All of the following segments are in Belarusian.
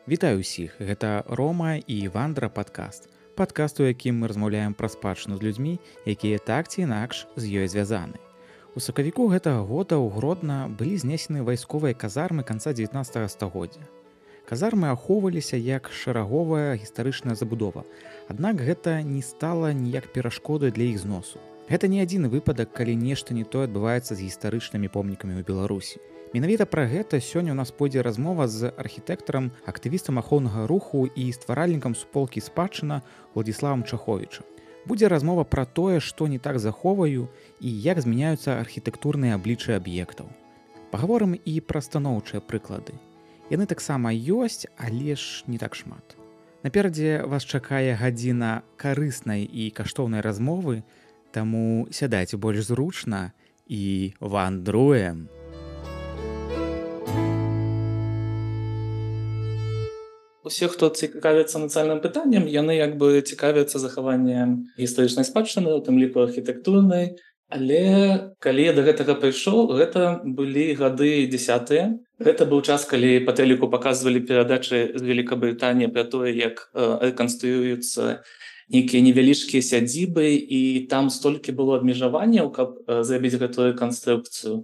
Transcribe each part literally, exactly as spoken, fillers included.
Вітаю ўсіх, гэта Рома і Вандра падкаст. Падкаст, у якім мы размаўляем пра спадчыну з людзьмі, якія так ці інакш з ёй звязаны. У сакавіку гэтага года ў Гродна былі знесены вайсковыя казармы канца дзевятнаццатага стагоддзя. Казармы ахоўваліся як шараговая гістарычная забудова, аднак гэта не стала ніяк перашкодай для іх зносу. Гэта не адзіны выпадак, калі нешта не тое адбываецца з гістарычнымі помнікамі ў Беларусі. Менавіта пра гэта сёння ў нас пойдзе размова з архітэктарам, актывістам ахоўнага руху і стваральнікам суполкі спадчына Владзіславам Чаховічам. Будзе размова пра тое, што не так заховаю і як змяняюцца архітэктурныя абліччы аб'ектаў. Пагаворым і пра станоўчыя прыклады. Яны таксама ёсць, але ж не так шмат. Наперадзе вас чакае гадзіна карыснай і каштоўнай размовы, таму сядайце больш зручна і вандруем! Усе, хто цікавіцца нацыянальным пытаннем, яны як бы цікавяцца захаваннем гістарычнай спадчыны, у тым ліку архітэктурнай. Але калі я да гэтага прыйшоў, гэта былі гады дзесятыя. Гэта быў час, калі па тэліку паказвалі перадачы з Велікабрытаніі пра тое, як рэканструююцца нейкія невялічкія сядзібы, і там столькі было абмежаванняў, каб зрабіць гэтую рэканструкцыю.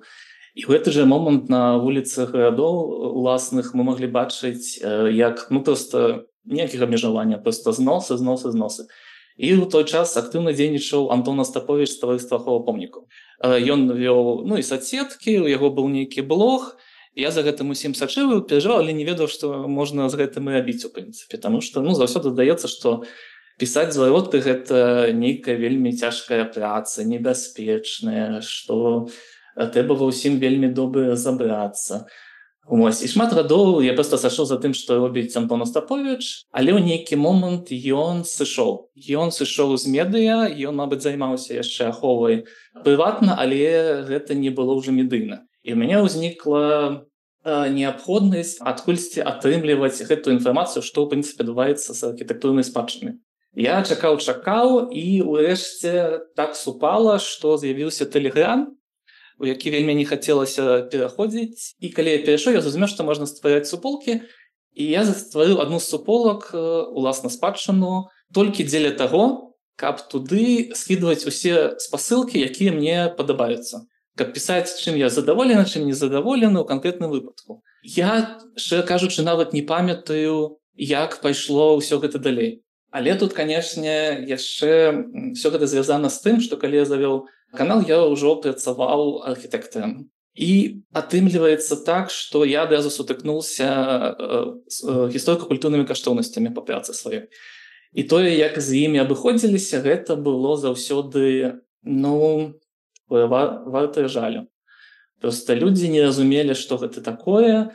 І ў гэты жа момант на вуліцах гарадоў уласных мы маглі бачыць, як ну проста ніякіх абмежавання, проста зносы, зносы, зносы. І ў той час актыўна дзейнічаў Антон Астаповіч з таварыства аховы помнікаў. Ён вёў ну і соцсеткі, у яго быў нейкі блог. Я за гэтым усім сачыў, перажываў, але не ведаў, што можна з гэтым і рабіць у прынцыпе, таму што ну заўсёды здаецца, што пісаць звароты гэта нейкая вельмі цяжкая праца, небяспечная, што трэба ва ўсім вельмі добра разабрацца. Вось. І шмат гадоў я проста сышоў за тым, што робіць Антон Астаповіч, але ў нейкі момант ён сышоў. Ён сышоў з медыа, ён, мабыць, займаўся яшчэ аховай прыватна, але гэта не было ўжо медыйна. І ў мяне ўзнікла неабходнасць адкульсьці атрымліваць гэтую інфармацыю, што ў прынцыпе адбываецца з архітэктурнай спадчынай. Я чакаў, чакаў, і ўрэшце так супала, што з'явіўся Тэлеграм, у які вельмі не хацелася пераходзіць. І калі я перайшоў, я зразумеў, што можна ствараць суполкі, і я стварыў адну з суполак, уласна спадчыну, толькі дзеля таго, каб туды скідваць усе спасылкі, якія мне падабаюцца. Каб пісаць, чым я задаволены, чым не задаволены ў канкрэтным выпадку. Я, шчыра кажучы, нават не памятаю, як пайшло ўсё гэта далей. Але тут, канешне, яшчэ ўсё гэта звязана з тым, што калі я завёў канал, я ўжо працаваў архітэктарам. І атрымліваецца так, што я адразу сутыкнуўся з гісторыка-культурнымі каштоўнасцямі па працы сваёй. І тое, як з імі абыходзіліся, гэта было заўсёды, ну, вартае жалю. Проста людзі не разумелі, што гэта такое,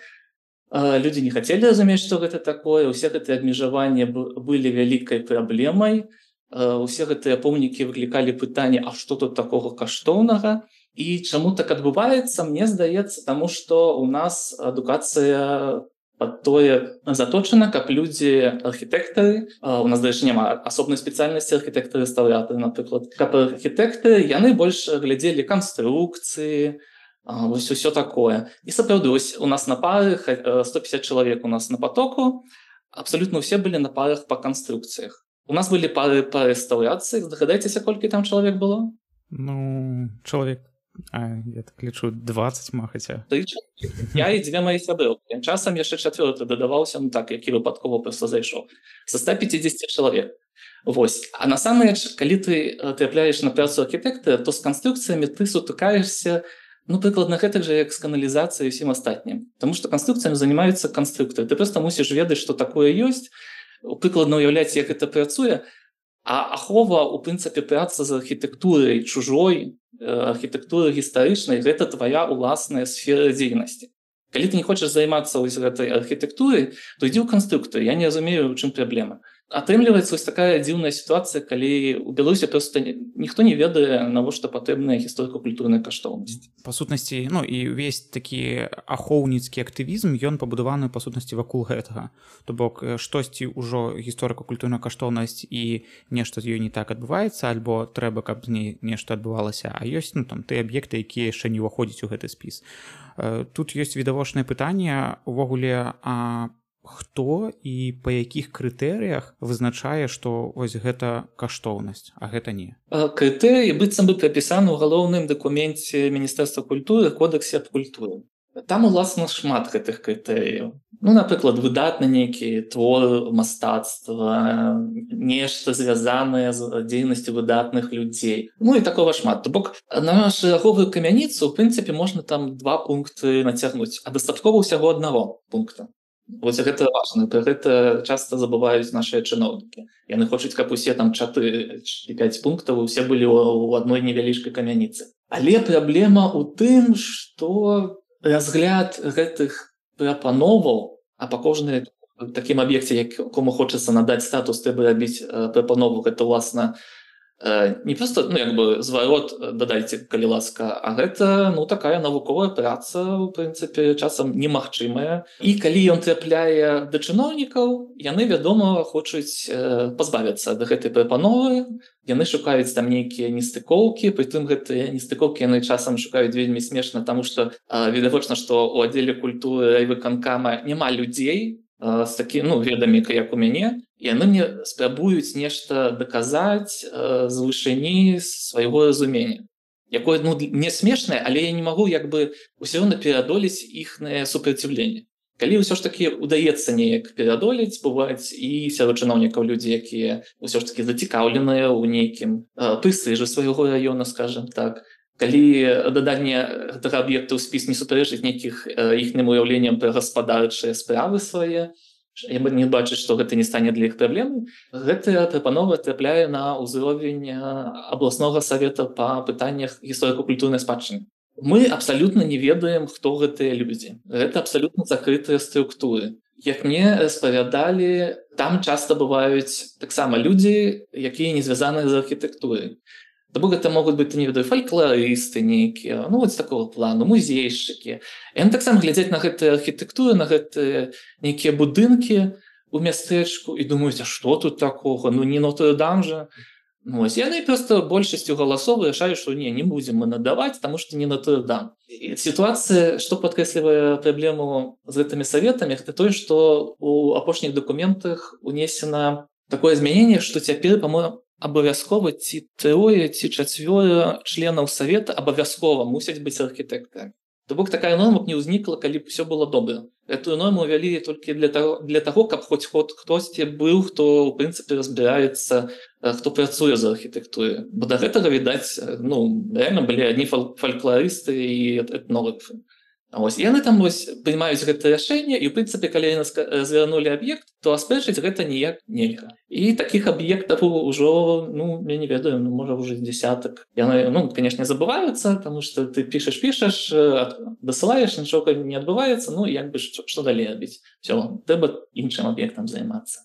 людзі не хацелі разумець, што гэта такое, усе гэтыя абмежаванні былі вялікай праблемай, усе гэтыя помнікі выклікалі пытанне, а што тут такога каштоўнага? І чаму так адбываецца, мне здаецца, таму што ў нас адукацыя пад тое заточана, каб людзі архітэктары, у нас, дарэчы, няма асобнай спецыяльнасці архітэктары-рэстаўратары, напрыклад, каб архітэктары, яны больш глядзелі канструкцыі, вось усё такое. І сапраўды, вось у нас на пары, сто пятьдесят чалавек у нас на потоку, абсалютна ўсе былі на парах па канструкцыях. У нас былі пары па рэстаўрацыі. Здагадайцеся, колькі там чалавек было? Ну, чалавек, а, я так лічу, дваццаць, махаця. Я і дзве мае сяброўкі. Часам яшчэ чацвёрты дадаваўся, ну так, які выпадкова проста зайшоў. Са ста пятьдесят чалавек. Вось. А насамрэч, калі ты трапляеш на працу архітэктара, то з канструкцыямі ты сутыкаешся, ну, прыкладна гэтак жа, як з каналізацыяй і ўсім астатнім. Таму што канструкцыямі займаюцца канструктары. Ты проста мусіш ведаць, што такое ёсць, прыкладна ўяўляць, як гэта працуе, а ахова, у прынцыпе, праца з архітэктурай чужой, архітэктурай гістарычнай, гэта твая ўласная сфера дзейнасці. Калі ты не хочаш займацца вось гэтай архітэктурай, то ідзі ў канструктар. Я не разумею, у чым праблема. Атрымліваецца вось такая дзіўная сітуацыя, калі ў Беларусі проста ніхто не ведае, навошта патрэбная гісторыка-культурная каштоўнасць. Па сутнасці, ну і ўвесь такі ахоўніцкі актывізм, ён пабудаваны па сутнасці вакол гэтага. То бок штосьці ўжо гісторыка-культурная каштоўнасць і нешта з ёй не так адбываецца, альбо трэба, каб з ней нешта адбывалася, а ёсць ну там тыя аб'екты, якія яшчэ не ўваходзяць у гэты спіс. Тут ёсць відавочнае пытанне увогуле, а хто і па якіх крытэрыях вызначае, што вось гэта каштоўнасць, а гэта не? Крытэрыі быццам бы прапісаны ў галоўным дакуменце Міністэрства культуры, кодексе аб культуры. Там, уласна, шмат гэтых крытэрыяў. Ну, напрыклад, выдатны нейкі твор мастацтва, нешта звязанае з дзейнасцю выдатных людзей. Ну і такога шмат. То бок на шараговую камяніцу, у прынцыпе, можна там два пункты нацягнуць, а дастаткова ўсяго аднаго пункта. Вось гэта важна, пра гэта часта забываюць нашыя чыноўнікі. Яны хочуць, каб усе там чатыры ці пяць пунктаў усе былі ў адной невялічкай камяніцы. Але праблема ў тым, што разгляд гэтых прапановаў, а па кожнай такім аб'екце, якому хочацца надаць статус, трэба рабіць прапанову, гэта, уласна, не проста, ну, як бы зварот дадайце, калі ласка, а гэта, ну, такая навуковая праца, у прынцыпе, часам немагчымая. І калі ён трапляе да чыноўнікаў, яны, вядома, хочуць пазбавіцца ад гэтай прапановы, яны шукаюць там нейкія нестыкоўкі, прытым гэтыя нестыкоўкі яны часам шукаюць вельмі смешна, таму што відавочна, што ў аддзеле культуры райвыканкама няма людзей з такім, ну, ведамі, як у мяне, і яны мне спрабуюць нешта даказаць з вышыні свайго разумення, якое, ну, не смешнае, але я не магу як бы ўсё роўна пераадолець іхнае супраціўленне. Калі ўсё ж такі удаецца неяк пераадолець, бываюць і сярод чыноўнікаў людзі, якія ўсё ж такі зацікаўленыя ў нейкім прэстыжы свайго раёна, скажам так, калі даданне гэтага аб'екта ў спіс не супярэчыць нейкіх іхнім уяўленням пра гаспадарчыя справы свае, я бы не бачыць, што гэта не стане для іх праблемай, гэтая прапанова трапляе на ўзровень абласнога савета па пытаннях гісторыка-культурнай спадчыны. Мы абсалютна не ведаем, хто гэтыя людзі. Гэта абсалютна закрытыя структуры. Як мне распавядалі, там часта бываюць таксама людзі, якія не звязаныя з архітэктурай. То бок гэта могуць быць, не ведаю, фалькларысты нейкія, ну, вось такого плану, музейшчыкі. Яны таксама глядзяць на гэтыя архітэктуры, на гэтыя нейкія будынкі ў мястэчку і думаюць, а што тут такога? Ну, не Нотр-Дам жа. Ну, вось, яны проста большасцю галасоў вырашаюць, што не, не будзем мы надаваць, таму што не Нотр-Дам. І сітуацыя, што падкрэслівае праблему з гэтымі саветамі, гэта тое, што ў апошніх дакументах унесена такое змяненне, што цяпер, па-моему, абавязкова ці трое, ці чацвёра членаў савета абавязкова мусяць быць архітэктарамі. То бок такая норма не ўзнікла, калі б усё было добра. Эту норму ўвялі толькі для таго, для таго, каб хоць хтосьці быў, хто, у прынцыпе, разбіраецца, хто працуе за архітэктурай. Бо да гэтага, відаць, ну, рэальна былі адні фалькларысты і этнографы. Ось, яны там вось прымаюць гэта рашэнне, і, у прынцыпе, калі яны звярнулі аб'ект, то аспрэчыць гэта ніяк нельга. І такіх аб'ектаў ужо, ну, я не ведаю, ну, можа, ўжо дзесятак. Яны, ну, канешне, забываюцца, таму што ты пішаш-пішаш, дасылаеш, нічога не адбываецца, ну, як бы, што, што далей рабіць? Всё, трэба іншым аб'ектам займацца.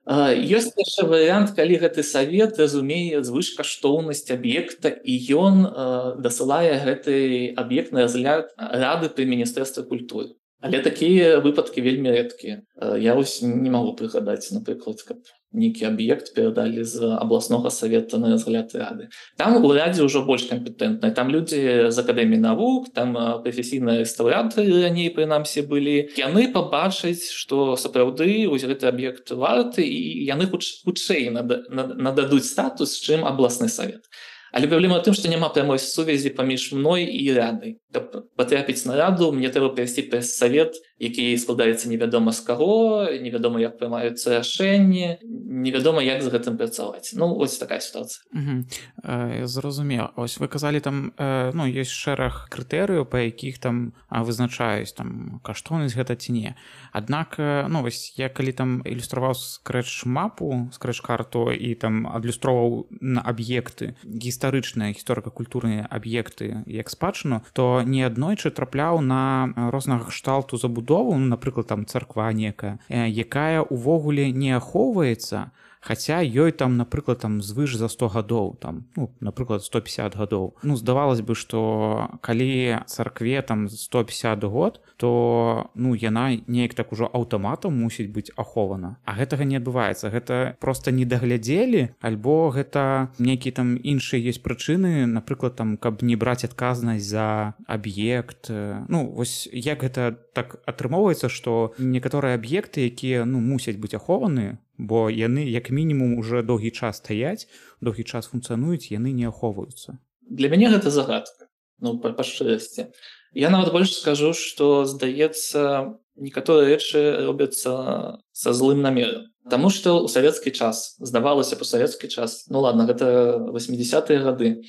Ёсць яшчэ варыянт, калі гэты савет разумее звышкаштоўнасць аб'екта і ён дасылае гэты аб'ект на разгляд рады пры Міністэрстве культуры. Але такія выпадкі вельмі рэдкія. Я вось не магу прыгадаць, напрыклад, каб нейкі аб'ект перадалі з абласнога савета на разгляд рады. Там у радзе ўжо больш кампетэнтныя. Там людзі з акадэміі навук, там прафесійныя рэстаўратары раней прынамсі былі. Яны пабачаць, што сапраўды вось гэты аб'ект варты, і яны хутчэй нададуць статус, чым абласны савет. Але праблема ў тым, што няма прамой сувязі паміж мной і радай. Каб патрапіць на раду, мне трэба прайсці праз савет, які складаецца невядома з каго, невядома, як прымаюцца рашэнні, невядома, як з гэтым працаваць. Ну, ось такая сітуацыя. Угу. Э, зразумела. Ось вы казалі, там, э, ну, ёсць шэраг крытэрыяў, па якіх там вызначаюць, там, каштоўнасць гэта ці не. Аднак, ну, вось, я калі там ілюстраваў скрэч-мапу, скрэч-карту і там адлюстроўваў на аб'екты, гістарычныя, гісторыка-культурныя аб'екты як спадчыну, то неаднойчы трапляў на рознага кшталту забудову, ну, напрыклад, там царква некая, якая ўвогуле не ахоўваецца, хаця ёй там напрыклад там звыш за сто гадоў там ну напрыклад сто пятьдесят гадоў. Ну здавалось бы, што калі царкве там сто пятьдесят год, то ну яна неяк так ужо аўтаматам мусіць быць ахована, а гэтага не адбываецца. Гэта просто не даглядзелі, альбо гэта нейкія там іншыя ёсць прычыны, напрыклад там каб не браць адказнасць за аб'ект. Ну вось як гэта так атрымоўваецца, што некаторыя аб'екты, якія ну мусяць быць ахованы, бо яны як мінімум уже доўгі час стаяць, доўгі час функцыянуюць, яны не ахоўваюцца. Для мяне гэта загадка, ну па, па шчырасці. Я нават больш скажу, што здаецца, некаторыя рэчы робяцца са злым намерам. Таму што ў савецкі час, здавалася па савецкі час, ну ладно, гэта восьмідзесятыя гады,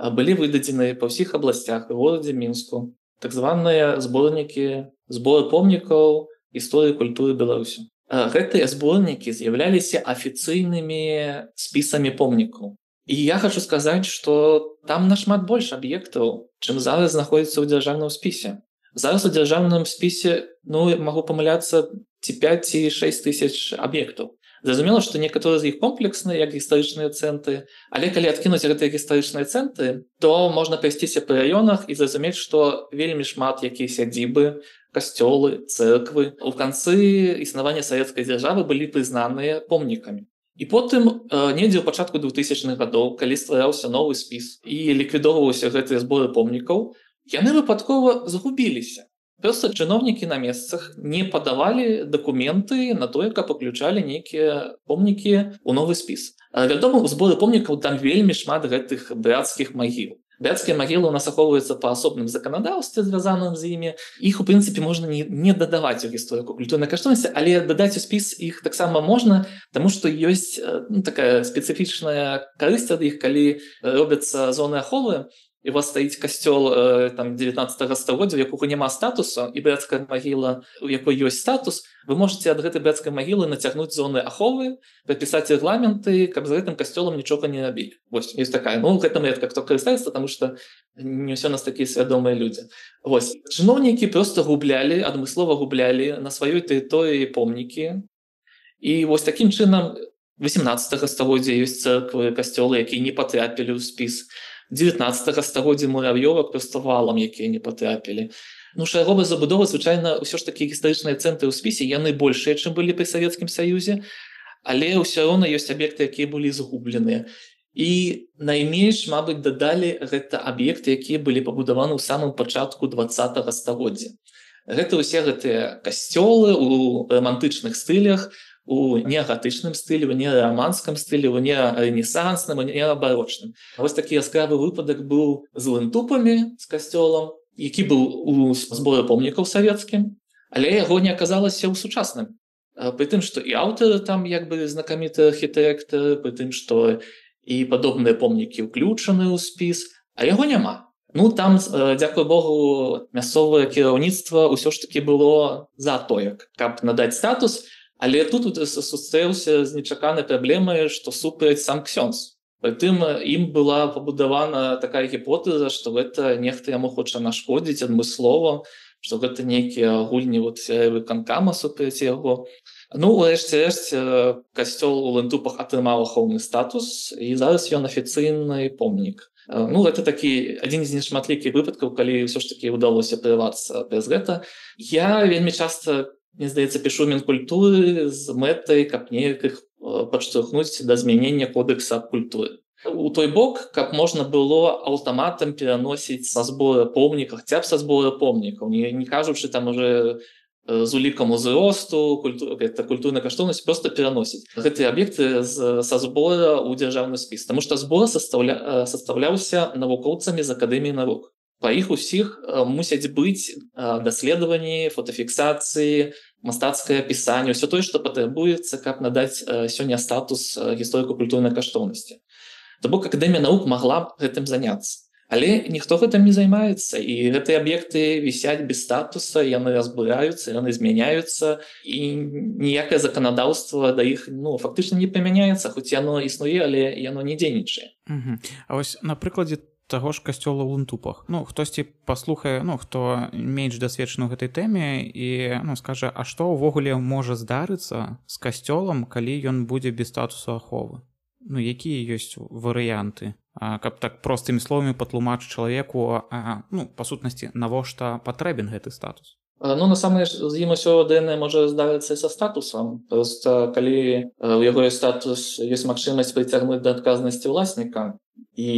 былі выдадзены па ўсіх абласцях у горадзе Мінску так званыя зборнікі зборы помнікаў гісторыі культуры Беларусі. Гэтыя зборнікі з'яўляліся афіцыйнымі спісамі помнікаў. І я хочу сказаць, што там нашмат больш аб'ектаў, чым зараз знаходзіцца ў дзяржаўным спісе. Зараз у дзяржаўным спісе, ну, магу памыляцца, ці пяць ці шэсць тысяч аб'ектаў. Зразумела, што некаторыя з іх комплексныя, як гістарычныя цэнтры, але калі адкінуць гэтыя гістарычныя цэнтры, то можна прайсціся па раёнах і зразумець, што вельмі шмат якія сядзібы, касцёлы, цэрквы у канцы існавання савецкай дзяржавы былі прызнаныя помнікамі. І потым недзе ў пачатку двухтысячных гадоў, калі ствараўся новы спіс і ліквідоўваўся гэтыя зборы помнікаў, яны выпадкова загубіліся. Проста чыноўнікі на месцах не падавалі дакументы на тое, каб уключалі нейкія помнікі ў новы спіс. Вядома, у зборы помнікаў там вельмі шмат гэтых брацкіх магіл. Брацкія магілы у нас ахоўваюцца па асобным заканадаўстве, звязаным з імі. Іх, у прынцыпе, можна не, не дадаваць у гісторыку культурнай каштоўнасці, але дадаць у спіс іх таксама можна, таму што ёсць ну, такая спецыфічная карысць ад іх, калі робяцца зоны аховы, і у вас стаіць касцёл э, там дзевятнаццатага стагоддзя, у якога няма статусу, і брацкая магіла, у якой ёсць статус, вы можете ад гэтай брацкай магілы нацягнуць зоны аховы, прапісаць рэгламенты, каб з гэтым касцёлам нічога не рабілі. Вось, ёсць такая. Ну, гэтым рэдка хто карыстаецца, таму што не ўсё нас такія свядомыя людзі. Вось. Чыноўнікі проста гублялі, адмыслова гублялі на сваёй тэрыторыі помнікі. І вось такім чынам васемнаццатага стагоддзя ёсць цэрквы, касцёлы, якія не патрапілі ў спіс. дзевятнаццатага стагоддзя муравёвак проста валам, якія не патрапілі. Ну, шаровая забудова, звычайна, ўсё ж такі гістарычныя цэнтры ў спісе, яны большыя, чым былі пры Савецкім Саюзе, але ўсё роўна ёсць аб'екты, якія былі згубленыя. І найменш, мабыць, дадалі гэта аб'екты, якія былі пабудаваны ў самым пачатку дваццатага стагоддзя. Гэта ўсе гэтыя касцёлы ў рамантычных стылях, у неагатычным стылі, у неараманскім стылі, у неарэнесансным, у неабарочным. Вось такі яскравы выпадак быў з лынтупамі, з касцёлам, які быў у зборы помнікаў савецкім, але яго не аказалася ў сучасным. Пры тым, што і аўтары там як бы знакаміты архітэктары, пры тым, што і падобныя помнікі ўключаны ў спіс, а яго няма. Ну, там, дзякуй Богу, мясцовае кіраўніцтва ўсё ж такі было за тое, каб надаць статус, але тут сустрэўся з нечаканай праблемай, што супраць сам ксёндз. Прытым ім была пабудавана такая гіпотэза, што гэта нехта яму хоча нашкодзіць адмыслова, што гэта нейкія гульні вот выканкама супраць яго. Ну, урэшце рэшт, касцёл у лынтупах атрымаў ахоўны статус, і зараз ён афіцыйны помнік. Ну, гэта такі адзін з нешматлікіх выпадкаў, калі ўсё ж такі ўдалося прырвацца праз гэта. Я вельмі часта, мне здаецца, пішу Мінкультуры з мэтай, каб неяк іх падштурхнуць да змянення кодекса культуры. У той бок, каб можна было аўтаматам пераносіць са збора помнікаў, хаця б са збора помнікаў, не, не кажучы там уже з улікам узросту, культур, культурнай каштоўнасці, проста пераносіць гэтыя аб'екты з, са збора ў дзяржаўны спіс. Таму што збор састаўля, састаўляўся навукоўцамі з Акадэміі навук. Па іх усіх мусяць быць даследаванні, фотафіксацыі, мастацкае апісанне, ўсё тое, што патрабуецца, каб надаць сёння статус гісторыка-культурнай каштоўнасці. То бок Акадэмія навук магла б гэтым заняцца. Але ніхто гэтым не займаецца, і гэтыя аб'екты вісяць без статуса, яны разбураюцца, яны змяняюцца, і ніякае заканадаўства да іх ну, фактычна не прымяняецца, хоць яно існуе, але яно не дзейнічае. Угу. А вось на прыкладзе таго ж касцёла ў Лунтупах. Ну, хтосьці паслухае, ну, хто менш дасведчаны ў гэтай тэме і, ну, скажа, а што ўвогуле можа здарыцца з касцёлам, калі ён будзе без статусу аховы? Ну, якія ёсць варыянты? А, каб так простымі словамі патлумачыць чалавеку, а, ну, па сутнасці, навошта патрэбен гэты статус? Ну, насамрэч, з ім усё дээнэ можа здарыцца і са статусам. Проста, калі у яго ёсць статус, ёсць магчымасць прыцягнуць да адказнасці ўласніка і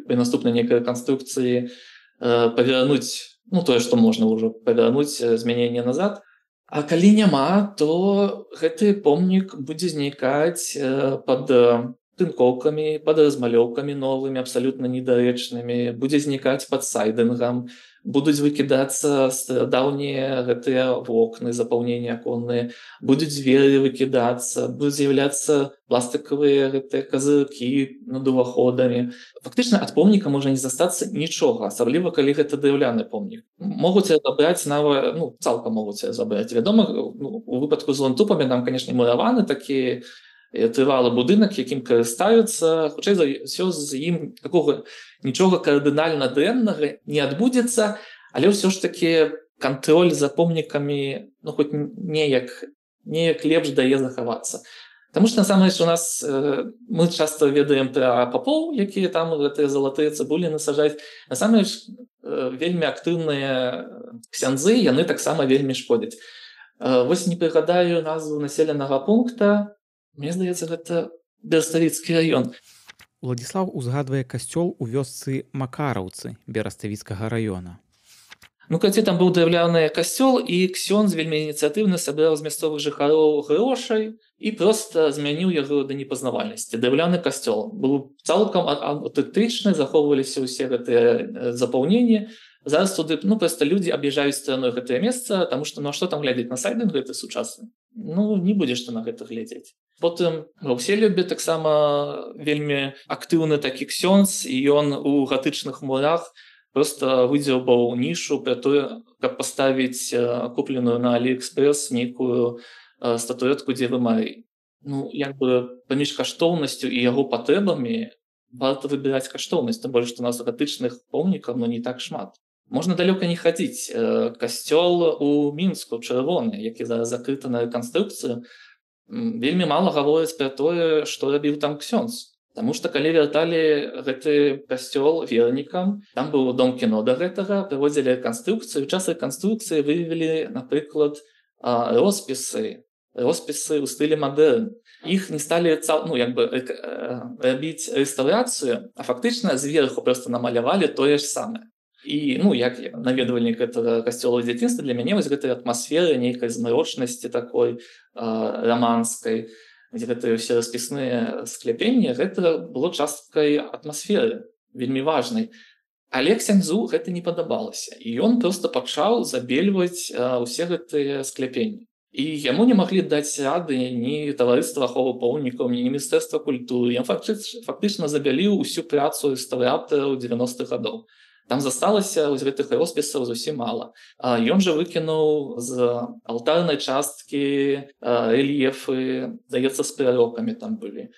пры наступнай нейкай рэканструкцыі павярнуць, ну, тое, што можна ўжо павярнуць змяненне назад. А калі няма, то гэты помнік будзе знікаць пад тынкоўкамі, пад размалёўкамі новымі, абсалютна недарэчнымі, будзе знікаць пад сайдынгам, будуць выкідацца даўнія гэтыя вокны, запаўнення аконныя, будуць дзверы выкідацца, будуць з'яўляцца пластыкавыя гэтыя казыркі над уваходамі. Фактычна ад помніка можа не застацца нічога, асабліва калі гэта драўляны помнік. Могуць забраць нават, ну, цалкам могуць забраць. Вядома, ну, у выпадку з Лунтупамі там, канешне, мураваны такі трывалы будынак, якім карыстаюцца, хутчэй за ўсё з ім такога нічога кардынальна дрэннага не адбудзецца, але ўсё ж такі кантроль за помнікамі, ну, хоць неяк, неяк лепш дае захавацца. Таму што, насамрэч, у нас э, мы часта ведаем пра папоў, якія там гэтыя залатыя цыбуліны сажаюць. Насамрэч, э, вельмі актыўныя ксяндзы, яны таксама вельмі шкодзяць. Э, вось не прыгадаю назву населенага пункта. Мне здаецца, гэта Бераставіцкі раён. Уладзіслаў узгадвае касцёл у вёсцы Макараўцы Бераставіцкага раёна. Ну, калі там быў драўляны касцёл, і ксёндз вельмі ініцыятыўна сабраў з мясцовых жыхароў грошай і проста змяніў яго да непазнавальнасці. Драўляны касцёл быў цалкам аўтэнтычны, захоўваліся ўсе гэтыя запаўненні. Зараз туды, ну, проста людзі аб'язджаюць стараной гэтае месца, таму што, ну, а што там глядзець на сайдынг гэты сучасны? Ну, не будзеш ты на гэта глядзець. Потым ва Ўселюбе таксама вельмі актыўны такі ксёндз, і ён у гатычных мурах проста выдзеўбаў нішу пра тое, каб паставіць купленую на Аліэкспрэс нейкую статуэтку Дзевы Марыі. Ну, як бы паміж каштоўнасцю і яго патрэбамі варта выбіраць каштоўнасць, тым больш, што у нас гатычных помнікаў, ну, не так шмат. Можна далёка не хадзіць. Касцёл у Мінску, чырвоны, які зараз закрыты на рэканструкцыю, вельмі мала гаворыць пра тое, што рабіў там ксёндз. Таму што калі вярталі гэты касцёл вернікам, там быў дом кіно да гэтага, праводзілі рэканструкцыю. У час рэканструкцыі выявілі, напрыклад, роспісы, роспісы ў стылі мадэрн. Іх не сталі, ну, як бы, рабіць рэстаўрацыю, а фактычна зверху проста намалявалі тое ж самае. І, ну, як наведвальнік гэтага касцёла ў дзяцінстве, для мяне вось гэтай атмасферы, нейкай змрочнасці такой раманскай, дзе гэтыя ўсе распісныя скляпенні, гэта было часткай атмасферы, вельмі важнай. Але ксяндзу гэта не падабалася. І ён проста пачаў забельваць усе гэтыя скляпенні. І яму не маглі даць рады ні таварыства аховы помнікаў, ні міністэрства культуры. Ён фактычна забяліў усю працу рэстаўратараў дзевяностых гадоў. Там засталася з гэтых роспісаў зусім мала. Ён жа выкінуў з алтарнай часткі рэльефы, здаецца, з прарокамі там былі.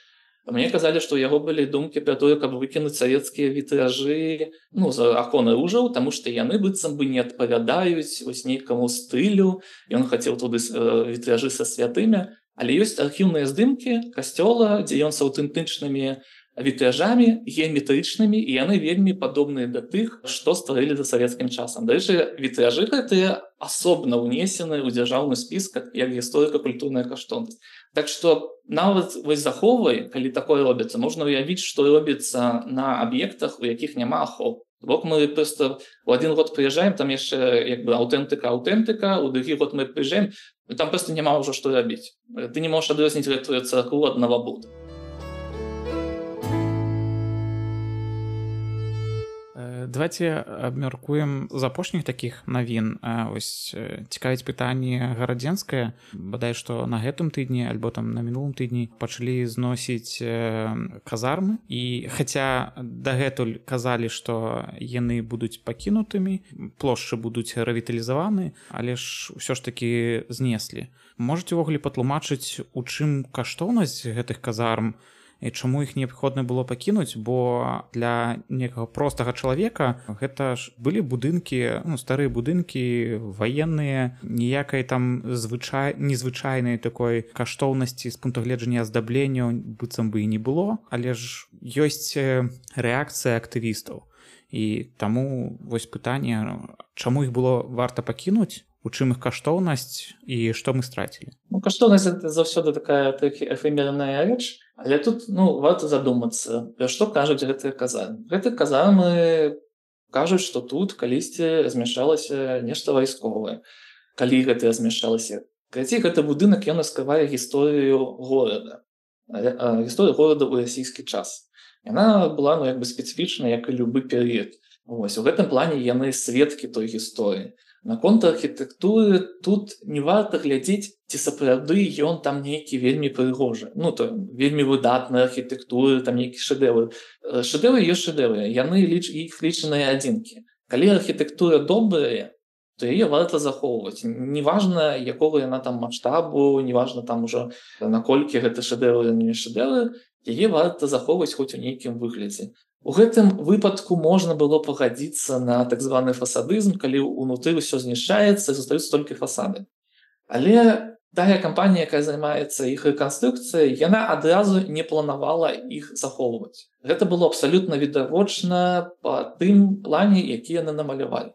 Мне казалі, што у яго былі думкі пра тое, каб выкінуць савецкія вітражы, ну, з акон ружаў, таму што яны быццам бы не адпавядаюць вось нейкаму стылю. Ён хацеў туды вітражы са святымі, але ёсць архіўныя здымкі касцёла, дзе ён з аўтэнтычнымі вітражамі геаметрычнымі, і яны вельмі падобныя да тых, што стварылі за савецкім часам. Дарэчы, вітражы гэтыя асобна ўнесены ў дзяржаўны спіс як гісторыка-культурная каштоўнасць. Так што нават вось заховай, калі такое робіцца, можна ўявіць, што робіцца на аб'ектах, у якіх няма ахоў. Бок мы проста у адзін год прыязджаем, там яшчэ як бы аўтэнтыка-аўтэнтыка, у другі год мы прыязджаем, там проста няма ўжо што рабіць. Ты не можаш адрозніць гэтую царкву ад навабуду. Давайте абмяркуем з апошніх такіх навін. Ось цікавіць пытанне гарадзенскае. Бадай, што на гэтым тыдні альбо там на мінулым тыдні пачалі зносіць казармы. І хаця дагэтуль казалі, што яны будуць пакінутымі, плошчы будуць рэвіталізаваны, але ж ўсё ж такі знеслі. Можаце ўвогуле патлумачыць, у чым каштоўнасць гэтых казарм, і чаму іх неабходна было пакінуць, бо для некага простага чалавека гэта ж былі будынкі, ну, старыя будынкі ваенныя, ніякай там звычай незвычайнай такой каштоўнасці з пункту гледжання аздаблення быццам бы і не было, але ж ёсць рэакцыя актывістаў. І таму вось пытанне, чаму іх было варта пакінуць, у чым іх каштоўнасць і што мы страцілі? Ну, каштоўнасць это заўсёды такая эфемерная рэч, але тут, ну, варта задумацца, пра што кажуць гэтыя казармы. Гэтыя казармы кажуць, што тут калісьці размяшчалася нешта вайсковае. Калі гэта размяшчалася? Карацей, гэты будынак, ён раскрывае гісторыю горада, гісторыю горада ў расійскі час. Яна была, ну, як бы спецыфічна, як і любы перыяд. Вось, у гэтым плане яны сведкі той гісторыі. Наконт архітэктуры тут не варта глядзець, ці сапраўды ён там нейкі вельмі прыгожы. Ну, то вельмі выдатная архітэктура, там нейкі шэдэвры. Шэдэвры ёсць шэдэвры, яны ліч, іх лічаныя адзінкі. Калі архітэктура добрая, то яе варта захоўваць. Неважна, якога яна там маштабу, неважна там ужо наколькі гэта шэдэвры, не шэдэвры, яе варта захоўваць хоць у нейкім выглядзе. У гэтым выпадку можна было пагадзіцца на так званы фасадызм, калі ўнутры ўсё знішчаецца і застаюцца толькі фасады. Але тая кампанія, якая займаецца іх рэканструкцыяй, яна адразу не планавала іх захоўваць. Гэта было абсалютна відавочна па тым плане, які яны намалявалі.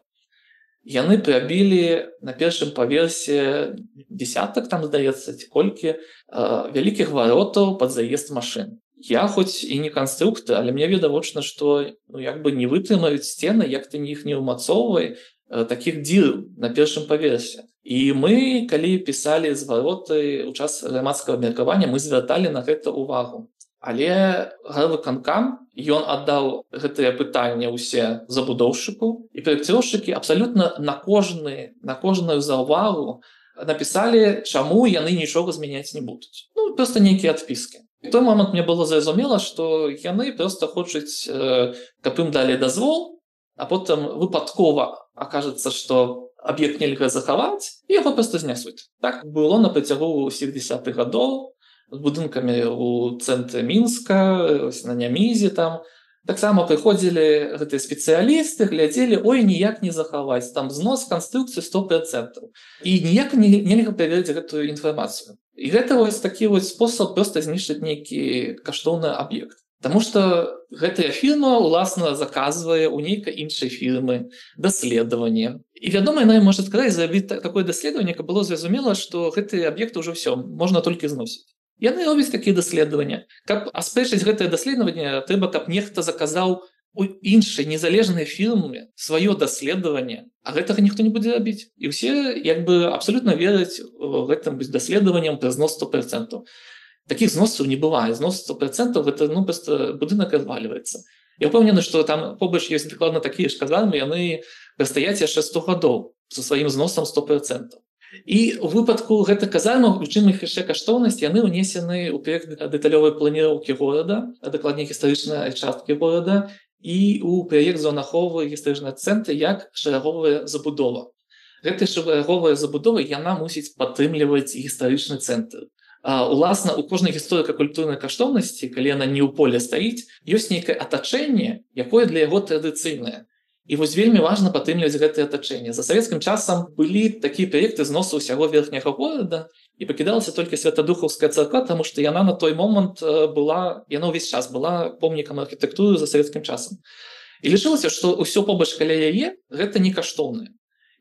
Яны прабілі на першым паверсе десятак, там, здаецца, ці колькі, вялікіх варотаў пад заезд машын. Я хоць і не канструктор, але мне відавочна, што, ну, як бы не вытрымаюць сцены, як ты іх не ўмацоўвай, такіх дзіраў на першым паверсе. І мы, калі пісалі звароты ў час грамадскага абмеркавання, мы звярталі на гэта ўвагу. Але гарвыканкам, ён аддаў гэтыя пытанні ўсе забудоўшчыку, і праекціроўшчыкі абсалютна на кожны, на кожную заўвагу напісалі, чаму яны нічога змяняць не будуць. Ну, проста нейкія адпіскі. У той момант мне было зразумела, што яны проста хочуць, каб ім далі дазвол, а потым выпадкова акажацца, што аб'ект нельга захаваць, і яго проста знясуць. Так было на працягу ўсіх дзесятых гадоў, з будынкамі ў цэнтры Мінска, на Нямізе там. Таксама прыходзілі гэтыя спецыялісты, глядзелі, ой, ніяк не захаваць, там знос канструкцыі сто процентаў. І ніяк нельга праверыць гэтую інфармацыю. І гэта вось такі вось спосаб проста знішчыць нейкі каштоўны аб'ект. Таму што гэтая фірма, уласна, заказвае ў нейкай іншай фірмы даследаванне. І, вядома, яна можа сказаць, зрабіць такое даследаванне, каб было зразумела, што гэты аб'ект ўжо ўсё, можна толькі зносіць. Яны робяць такія даследаванні. Каб аспрэчыць гэтае даследаванне, трэба, каб нехта заказаў у іншай незалежнай фірме сваё даследаванне, а гэтага ніхто не будзе рабіць. І ўсе, як бы, абсалютна вераць гэтым даследаванням пра знос сто процентаў. Такіх зносаў не бывае. Знос сто процентаў гэта, ну, проста будынак развальваецца. Я ўпэўнены, што там побач ёсць дакладна такія ж казармы, яны прастаяць яшчэ сто гадоў са сваім зносам сто процентаў. І ў выпадку гэтых казармаў, у чым іх яшчэ каштоўнасць, яны ўнесены ў праект дэталёвай планіроўкі горада, а дакладней гістарычнай часткі горада, і ў праект зонаховы гістарычнай цэнтры як шараговая забудова. Гэтая шараговая забудова, яна мусіць падтрымліваць гістарычны цэнтр. А, уласна, у кожнай гісторыка-культурнай каштоўнасці, калі яна не ў поле стаіць, ёсць нейкае атачэнне, якое для яго традыцыйнае. І вось вельмі важна падтрымліваць гэтае атачэнне. За савецкім часам былі такія праекты зносу ўсяго верхняга горада, і пакідалася толькі Святадухаўская царква, таму што яна на той момант была, яна ўвесь час была помнікам архітэктуры за савецкім часам. І лічылася, што ўсё побач каля яе гэта не каштоўнае.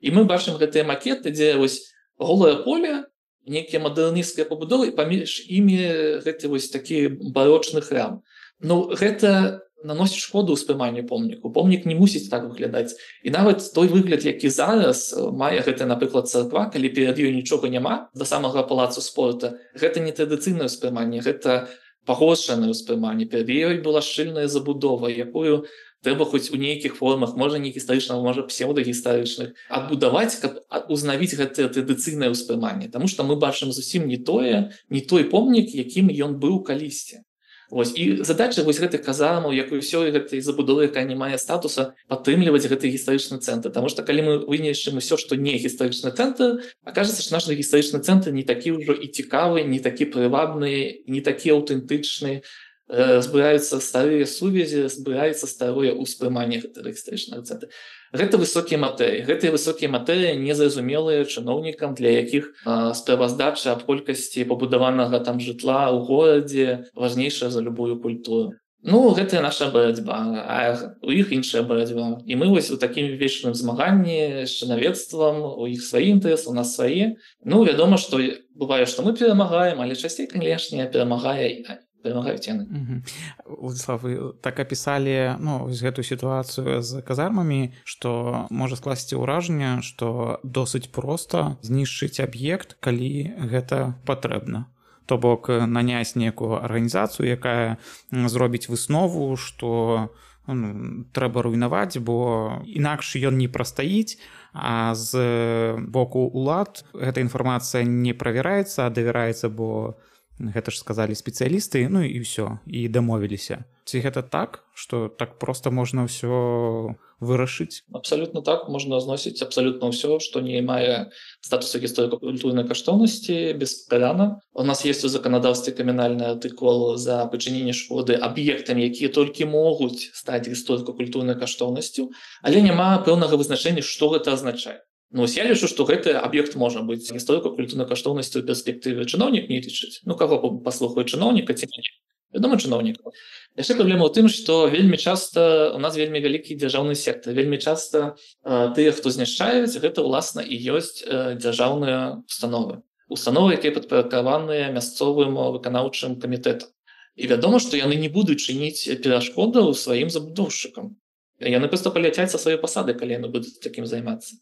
І мы бачым гэтыя макеты, дзе вось голае поле, нейкія мадэрнісцкія пабудовы, паміж імі гэты вось такі барочны храм. Ну, гэта наносіць шкоду ўспрыманню помніку. Помнік не мусіць так выглядаць. І нават той выгляд, які зараз мае гэта, напрыклад, царква, калі перад ёй нічога няма, да самага палацу спорта, гэта не традыцыйнае ўспрыманне, гэта пагоршанае ўспрыманне. Перад ёй была шчыльная забудова, якую трэба хоць у нейкіх формах, можа не гістарычных, можа псеўдагістарычных, адбудаваць, каб узнавіць гэтае традыцыйнае ўспрыманне. Таму што мы бачым зусім не тое, не той помнік, якім ён быў калісьці. Вось. І задача вось гэтых казармаў, як і ўсёй гэтай забудовы, якая не мае статуса, падтрымліваць гэты гістарычны цэнтр. Таму што калі мы вынішчым усё, што не гістарычны цэнтр, акажацца, што наш гістарычны цэнтр не такі ўжо і цікавы, не такі прывабны, не такі аўтэнтычны. збіраюцца старыя сувязі, збіраецца старое ўспрыманне гэтага гістарычнага цэнтра. Гэта высокія матэрыі. Гэтыя высокія матэрыі незразумелыя чыноўнікам, для якіх э, справаздача аб колькасці пабудаванага там жытла ў горадзе важнейшая за любую культуру. Ну, гэта наша барацьба, а у іх іншая барацьба. І мы вось у такім вечным змаганні з чынавецтвам, у іх свае інтарэсы, у нас свае. Ну, вядома, што бывае, што мы перамагаем, але часцей, канешне, перамагае перамагаюць яны. Владислав, вы так апісалі ну, гэтую сітуацыю з казармамі, што можа скласці ўражанне, што досыць проста знішчыць аб'ект, калі гэта патрэбна. То бок наняць некую арганізацыю, якая зробіць выснову, што ну, трэба руйнаваць, бо інакш ён не прастаіць, а з боку ўлад гэта інфармацыя не правяраецца, а давяраецца, бо гэта ж сказалі спецыялісты, ну і ўсё, і дамовіліся. Ці гэта так, што так проста можна ўсё вырашыць? Абсалютна так, можна зносіць абсалютна ўсё, што не мае статусу гісторыка-культурнай каштоўнасці беспрацоўна. У нас ёсць у заканадаўстве крымінальны артыкул за прычыненне шкоды аб'ектам, якія толькі могуць стаць гісторыка-культурнай каштоўнасцю, але няма пэўнага вызначэння, што гэта азначае. Ну, я лічу, што гэты аб'ект можа быць гісторыка-культурнай каштоўнасцю ў перспектыве. Чыноўнік не лічыць. Ну, каго паслухае чыноўніка ці не? Вядома, чыноўніка. Яшчэ праблема ў тым, што вельмі часта у нас вельмі вялікі дзяржаўны сектар. Вельмі часта э, тыя, хто знішчаюць, гэта, ўласна, і ёсць э, дзяржаўныя установы. Установы, якія падпарадкаваныя мясцовым выканаўчым камітэтам. І вядома, што яны не будуць чыніць перашкодаў сваім забудоўшчыкам. Яны проста паляцяць са сваёй пасады, калі яны будуць такім займацца.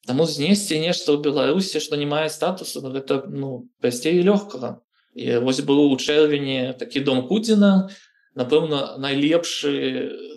Таму знесці нешта ў Беларусі, што не мае статусу, гэта ну, прасцей і лёгкага. І вось быў у чэрвені такі дом Кудзіна, напэўна, найлепшы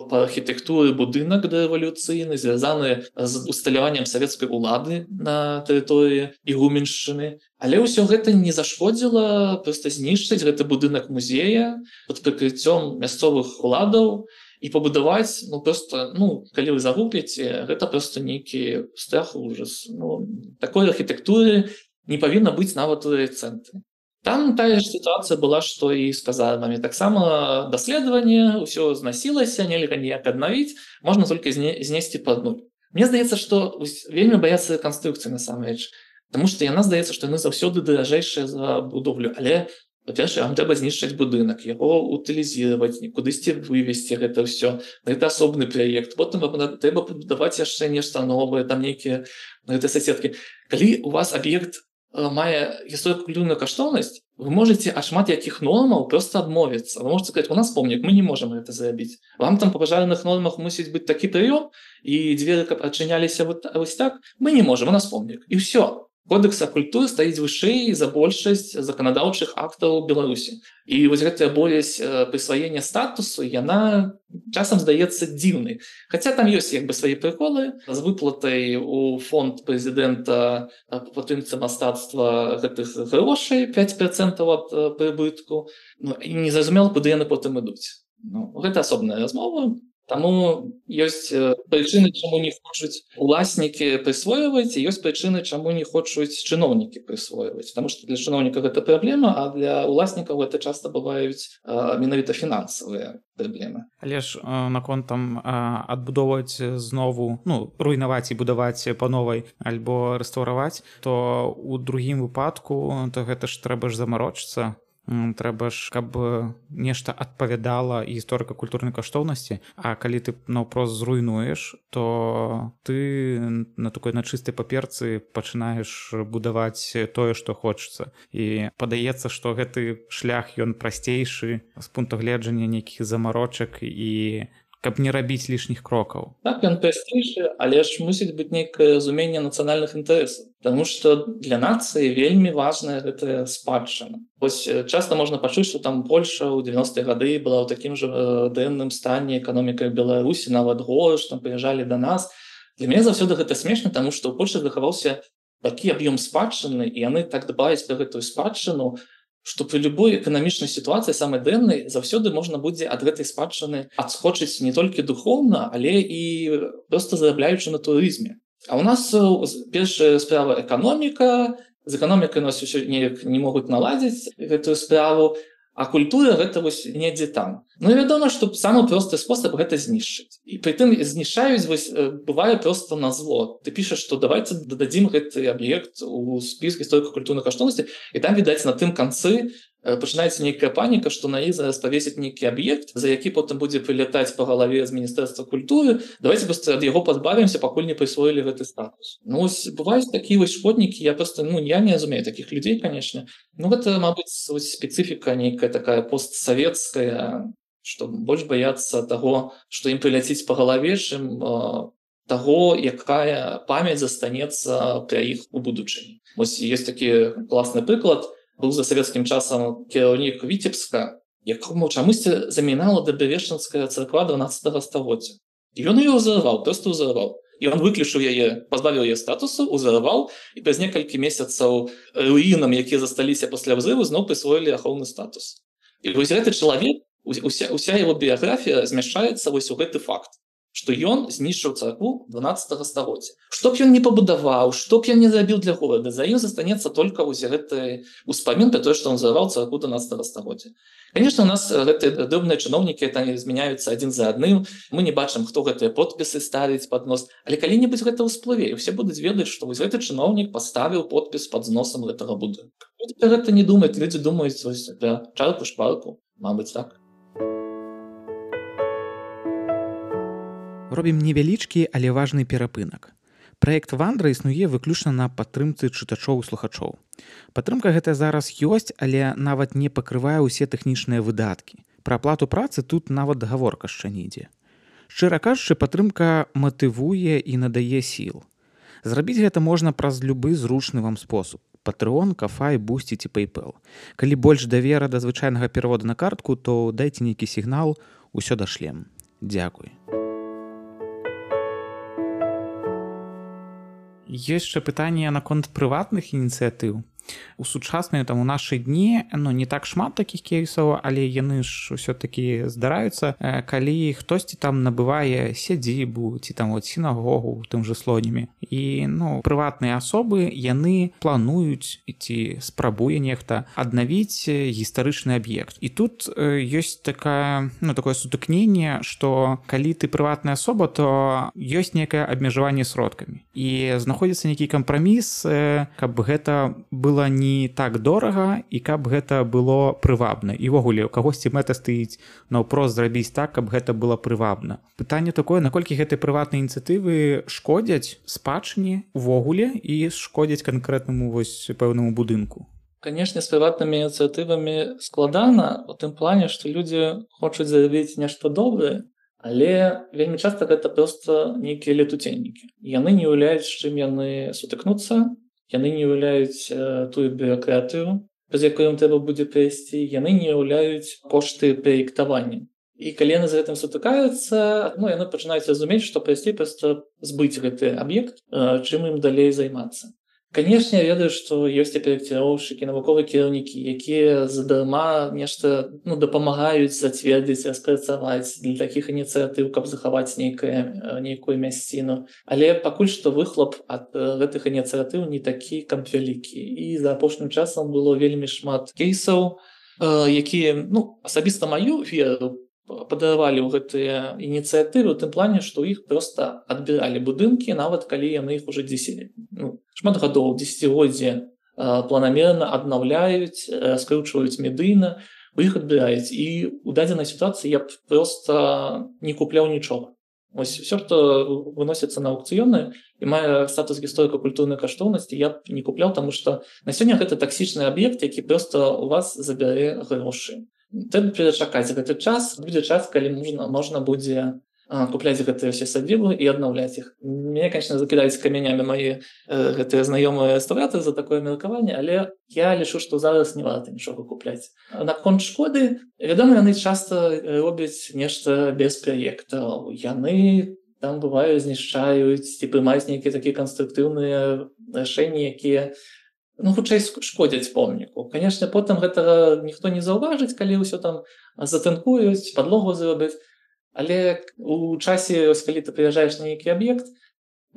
па архітэктуры будынак дэрэвалюцыйны, звязаны з усталяваннем савецкай улады на тэрыторыі Ігуменшчыны. Але ўсё гэта не зашкодзіла проста знішчыць гэты будынак музея пад прыкрыццём мясцовых уладаў, і пабудаваць, ну, просто, ну, калі вы загугліце, гэта просто нейкі страх, ужас. Ну, такой архітэктуры не павінна быць нават у райцэнтры. Там тая ж сітуацыя была, што і з казармамі. Таксама даследаванне, ўсё знасілася, нельга ніяк аднавіць, можна толькі знесці пад нуль. Мне здаецца, што вельмі баяцца рэканструкцыі насамрэч, таму што яна здаецца, што яны заўсёды даражэйшыя за будоўлю, але па-першае, вам трэба знішчыць будынак, яго утылізіраваць, кудысьці вывесці гэта ўсё. Гэта асобны праект. Потым трэба пабудаваць яшчэ нешта новае, там нейкія гэтыя соседкі. Калі у вас аб'ект мае гісторыка-культурную каштоўнасць, вы можаце ад шмат якіх нормаў проста адмовіцца. Вы можаце сказаць, у нас помнік, мы не можам гэта зрабіць. Вам там па пажарных нормах мусіць быць такі прыём, і дзверы каб адчыняліся вось так, мы не можам, у нас помнік. І ўсё. Кодекс культуры стаіць вышэй за большасць заканадаўчых актаў Беларусі. І вось гэтая боязь прысваення статусу, яна часам здаецца дзіўнай. Хаця там ёсць як бы свае прыколы з выплатай у фонд прэзідэнта па падтрымцы мастацтва гэтых грошай пяць працэнтаў ад прыбытку. Ну, і незразумела, куды яны потым ідуць. Ну, гэта асобная размова. Таму ёсць прычыны, чаму не хочуць уласнікі прысвойваць, і ёсць прычыны, чаму не хочуць чыноўнікі прысвойваць. Таму што для чыноўніка гэта праблема, а для уласнікаў гэта часта бываюць а, менавіта фінансавыя праблемы. Але ж наконт там адбудоўваць знову, ну, руйнаваць і будаваць па новай альбо рэстаўраваць, то ў другім выпадку то гэта ж трэба ж замарочыцца. Трэба ж, каб нешта адпавядала гісторыка-культурнай каштоўнасці, а калі ты наўпрост зруйнуеш, то ты на такой на чыстай паперцы пачынаеш будаваць тое, што хочацца. І падаецца, што гэты шлях ён прасцейшы з пункту гледжання нейкіх замарочак і каб не рабіць лішніх крокаў. Так, ён прасцейшы, але ж мусіць быць нейкае разуменне нацыянальных інтарэсаў. Таму што для нацыі вельмі важная гэтая спадчына. Вось часта можна пачуць, што там Польша ў дзевяностыя гады была ў такім жа дрэнным стане эканоміка Беларусі, нават горш, там прыязджалі да нас. Для мяне заўсёды гэта смешна, таму што ў Польшы захаваўся такі аб'ём спадчыны, і яны так дбаюць пра гэтую спадчыну, што пры любой эканамічнай сітуацыі самай дрэннай заўсёды можна будзе ад гэтай спадчыны адскочыць не толькі духоўна, але і проста зарабляючы на турызме. А ў нас першая справа эканоміка, з эканомікай нас усё неяк не могуць наладзіць гэтую справу, А культура гэта вось недзе там. Ну і вядома, што самы просты спосаб гэта знішчыць. І прытым знішчаюць вось бывае проста на зло. Ты пішаш, што давайце дададзім гэты аб'ект у спіс гісторыка-культурных каштоўнасцей, і там відаць на тым канцы пачынаецца нейкая паніка, што на іх зараз павесіць нейкі аб'ект, за які потым будзе прылятаць па галаве з міністэрства культуры. Давайте проста ад яго пазбавімся, пакуль не прысвоілі гэты статус. Ну вось бываюць такія вось шкоднікі, я проста ну я не разумею такіх людзей, канешне. Ну гэта, мабыць, спецыфіка нейкая такая постсавецкая, што больш баяцца таго, што ім прыляціць па галаве, чым э, таго, якая памяць застанецца пра іх у будучыні. Вось ёсць такі класны прыклад. Быў за савецкім часам кіраўнік Віцебска, якому чамусьці замінала дабавешчынская царква дванаццатага стагоддзя. І ён яе ўзарваў, проста ўзарваў. І ён выключыў яе, пазбавіў яе статусу, ўзарваў, і праз некалькі месяцаў руінам, якія засталіся пасля ўзрыву, зноў прысвоілі ахоўны статус. І вось гэты чалавек, уся, уся яго біяграфія змяшчаецца вось у гэты факт, што ён знішчыў царкву дванаццатага стагоддзя. Што б ён не пабудаваў, што б ён не зрабіў для горада, за ім застанецца толькі вось гэты успамін пра тое, што ён зарваў царкву дванаццатага стагоддзя. Конечно, у нас гэтыя дробныя чыноўнікі там змяняюцца адзін за адным. Мы не бачым, хто гэтыя подпісы ставіць пад нос. Але калі-небудзь гэта ўсплыве, і ўсе будуць ведаць, што вось гэты чыноўнік паставіў подпіс пад зносам гэтага будынка. Людзі пра гэта не думаюць, людзі думаюць вось пра чарку-шпарку, мабыць, так. Робім невялічкі, але важны перапынак. Праект «Вандра» існуе выключна на падтрымцы чытачоў і слухачоў. Падтрымка гэта зараз ёсць, але нават не пакрывае ўсе тэхнічныя выдаткі. Пра аплату працы тут нават гаворка яшчэ не ідзе. Шчыра кажучы, падтрымка матывуе і надае сіл. Зрабіць гэта можна праз любы зручны вам спосаб. Patreon, Ko-fi, Boosty ці PayPal. Калі больш давера да звычайнага пераводу на картку, то дайце нейкі сігнал, усё дашлем. Дзякуй. Ёсць яшчэ пытанне наконт прыватных ініцыятыў. У сучасныя там у нашы дні ну не так шмат такіх кейсаў, але яны ж ўсё-такі здараюцца, калі хтосьці там набывае сядзібу ці там вот сінагогу тым же Слонімі. І ну прыватныя асобы яны плануюць ці спрабуе нехта аднавіць гістарычны аб'ект. І тут ёсць такая ну такое сутыкненне, што калі ты прыватная асоба, то ёсць некае абмежаванне сродкамі. І знаходзіцца нейкі кампраміс, каб гэта было не так дорага і каб гэта было прывабна. І ўвогуле у кагосьці мэта стаіць наўпрост зрабіць так, каб гэта было прывабна. Пытанне такое, наколькі гэтыя прыватныя ініцыятывы шкодзяць спадчыне увогуле і шкодзяць канкрэтнаму вось пэўнаму будынку. Канешне, з прыватнымі ініцыятывамі складана у тым плане, што людзі хочуць зарабіць нешта добрае, але вельмі часта гэта проста нейкія летуценнікі. Яны не ўяўляюць, з чым яны сутыкнуцца, яны не ўяўляюць э, тую бюракратыю, праз якую ім трэба будзе прайсці, яны не ўяўляюць кошты праектавання. І калі яны з гэтым сутыкаюцца, ну, яны пачынаюць разумець, што прайсці проста збыць гэты аб'ект, э, чым ім далей займацца. Канешне, я ведаю, што ёсць і праекціроўшчыкі, навуковыя кіраўнікі, якія задарма нешта ну, дапамагаюць зацвердзіць, распрацаваць для такіх ініцыятыў, каб захаваць нейкае, нейкую мясціну. Але пакуль што выхлоп ад гэтых ініцыятыў не такі, каб вялікі. І за апошнім часам было вельмі шмат кейсаў, якія ну, асабіста маю веру падаравалі ў гэтыя ініцыятывы у тым плане, што ў іх проста адбіралі будынкі, нават калі яны іх уже дзесяць, ну, шмат гадоў, дзесяцігоддзе планамерна аднаўляюць, раскручваюць медыйна, у іх адбіраюць. І ў дадзенай сітуацыі я б проста не купляў нічога. Вось все, што выносіцца на аукцыёны і мае статус гісторыка-культурнай каштоўнасці, я б не купляў, таму што на сёння гэта таксічны аб'ект, які проста у вас забярэ грошы. Трэба перачакаць гэты час, будзе час, калі можна, можна будзе а, купляць гэтыя ўсе садзібы і аднаўляць іх. Мяне, конечно, закідаюць камянямі мае э, гэтыя знаёмыя рэстаўратары за такое меркаванне, але я лічу, што зараз не варта нічога купляць. Наконт шкоды, вядома, яны часта робяць нешта без праектаў. Яны там бываюць, знішчаюць ці прымаюць нейкія такія канструктыўныя рашэнні, якія ну, хутчэй шкодзяць помніку. Канешне, потым гэтага ніхто не заўважыць, калі ўсё там затынкуюць, падлогу зробяць. Але у часе, ось, калі ты прыязджаеш на нейкі аб'ект,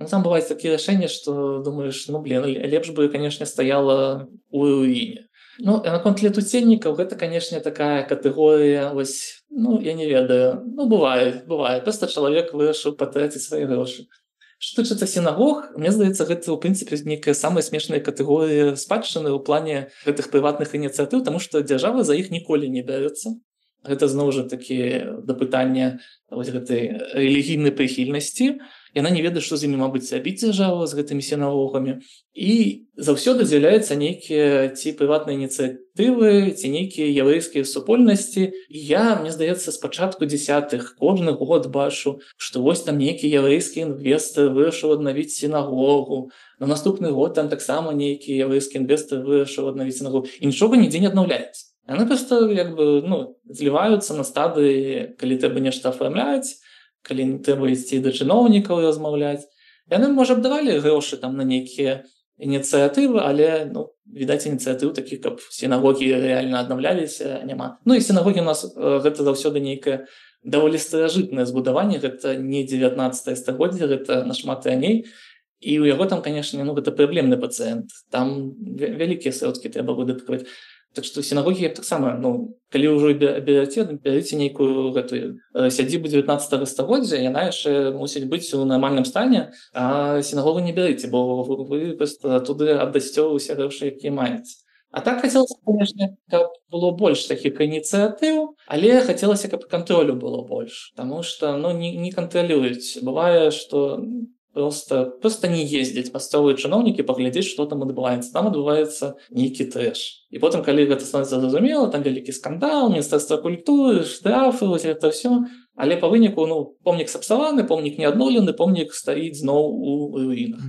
ну, там бываюць такія рашэнні, што думаеш, ну, блин, лепш бы, канешне, стаяла ў руіне. Ну, наконт летуценнікаў гэта, канешне, такая катэгорыя, вось, ну, я не ведаю, ну, бывае, бывае, проста чалавек вырашыў патраціць свае грошы. Што тычыцца сінагог, мне здаецца, гэта, ў прынцыпе, нейкая самая смешная катэгорыя спадчыны ў плане гэтых прыватных ініцыятыў, таму што дзяржава за іх ніколі не бярэцца. Гэта, зноў жа такі, да пытання вось гэтай рэлігійнай прыхільнасці. Яна не ведае, што з імі, мабыць, рабіць дзяржава, з гэтымі сінагогамі. І заўсёды з'яўляюцца нейкія ці прыватныя ініцыятывы, ці нейкія яўрэйскія супольнасці. І я, мне здаецца, з пачатку дзесятых кожны год бачу, што вось там нейкі яўрэйскі інвестар вырашыў аднавіць сінагогу. На наступны год там таксама нейкі яўрэйскі інвестар вырашыў аднавіць сінагогу. І нічога нідзе не аднаўляецца. Яны проста, як бы, ну, зліваюцца на стадыі, калі трэба нешта афармляць, калі не трэба ісці да чыноўнікаў і размаўляць. Яны, можа, б давалі грошы там на нейкія ініцыятывы, але, ну, відаць, ініцыятыў такіх, каб сінагогі рэальна аднаўляліся, няма. Ну і сінагогі у нас гэта заўсёды нейкае даволі старажытнае збудаванне, гэта не дзевятнаццатае стагоддзе, гэта нашмат раней. І ў яго там, канешне, ну, гэта праблемны пацыент. Там вялікія сродкі трэба выдаткаваць. Так што сінагогі таксама, ну, калі ўжо бераце, бярыце нейкую гэтую сядзібу дзевятнаццатага стагоддзя, яна яшчэ мусіць быць у нармальным стане, а сінагогу не бярыце, бо вы проста туды аддасце ўсе грошы, якія маеце. А так хацелася, канешне, каб было больш такіх ініцыятыў, але хацелася, каб кантролю было больш, таму што, ну, не, не кантралююць. Бывае, што Просто, просто не ездзяць мясцовыя чыноўнікі паглядзець, што там адбываецца. Там адбываецца нейкі трэш. І потым, калі гэта становіцца зразумела, там вялікі скандал, міністэрства культуры, штрафы, вось гэта ўсё. Але па выніку, ну, помнік сапсаваны, помнік не адноўлены, помнік стаіць зноў у руінах.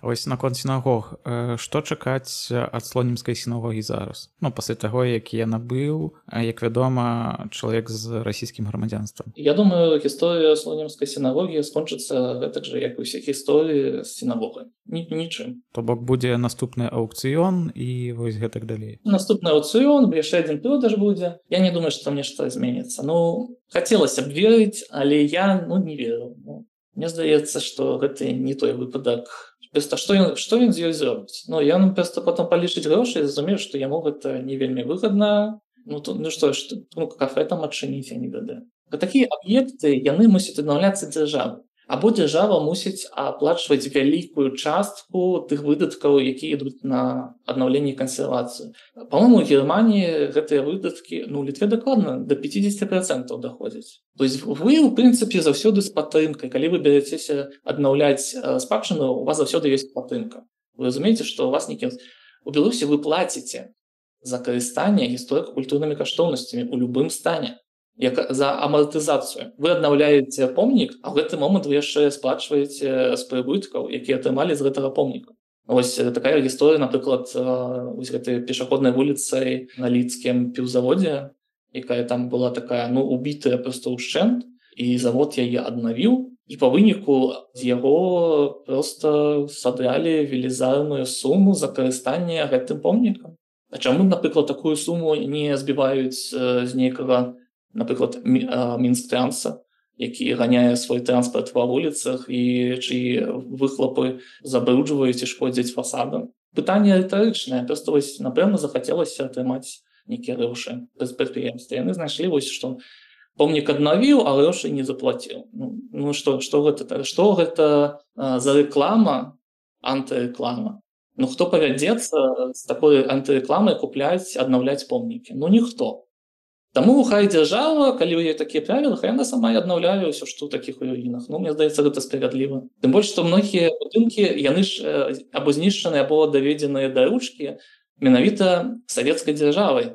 Вось наконт сінагог, што чакаць ад слонімскай сінагогі зараз? Ну, пасля таго, які яна быў, як вядома, чалавек з расійскім грамадзянствам. Я думаю, гісторыя слонімскай сінагогі скончыцца гэтак жа, як і ўсе гісторыі з сінагогай. Нічым. То бок будзе наступны аўкцыён і вось гэтак далей. Наступны аўкцыён, яшчэ адзін продаж будзе. Я не думаю, што там нешта зменіцца. Ну, хацелася б верыць, але я, ну, не веру. Ну, мне здаецца, што гэта не той выпадак. Проста што ён, што ён з ёй зробіць? Ну, ён проста потом палічыць грошы і зразумее, што яму гэта не вельмі выгадна. Ну, то, ну што, што, ну, кафе там адчыніць, я не ведаю. Такія аб'екты, яны мусяць аднаўляцца дзяржаву. Або дзяржава мусіць аплачваць вялікую частку тых выдаткаў, якія ідуць на аднаўленне і кансервацыю. Па-мойму, у Германіі гэтыя выдаткі, ну, у Літве дакладна, да пяцьдесят процентов даходзяць. То есть вы, у прынцыпе, заўсёды з падтрымкай. Калі вы бярэцеся аднаўляць спадчыну, у вас заўсёды ёсць падтрымка. Вы разумееце, што у вас нейкі... У Беларусі вы плаціце за карыстанне гісторыка-культурнымі каштоўнасцямі ў любым стане. Як за амартызацыю. Вы аднаўляеце помнік, а ў гэты момант вы яшчэ сплачваеце з прыбыткаў, якія атрымалі з гэтага помніка. Вось такая гісторыя, напрыклад, вось гэтай пешаходнай вуліцай на лідскім піўзаводзе, якая там была такая, ну, убітая проста ўшчэнт, і завод яе аднавіў, і па выніку з яго проста садралі велізарную суму за карыстанне гэтым помнікам. А чаму, напрыклад, такую суму не збіваюць з нейкага, напрыклад, Мінсктранса, які ганяе свой транспарт ва вуліцах і чыі выхлопы забруджваюць і шкодзяць фасадам. Пытанне рытарычнае, проста вось, напэўна, захацелася атрымаць нейкія грошы без прадпрыемства. Яны знайшлі вось, што помнік аднавіў, а грошы не заплаціў. Ну, ну што, што гэта? Што гэта а, за рэклама, антырэклама? Ну, хто павядзецца з такой антырэкламай купляць, аднаўляць помнікі? Ну, ніхто. Таму хай дзяржава, калі ў ёй такія правілы, хай яна сама і аднаўляе ўсё, што ў такіх руінах. Ну, мне здаецца, гэта справядліва. Тым больш, што многія будынкі, яны ж або знішчаны, або даведзеныя да ручкі менавіта савецкай дзяржавай,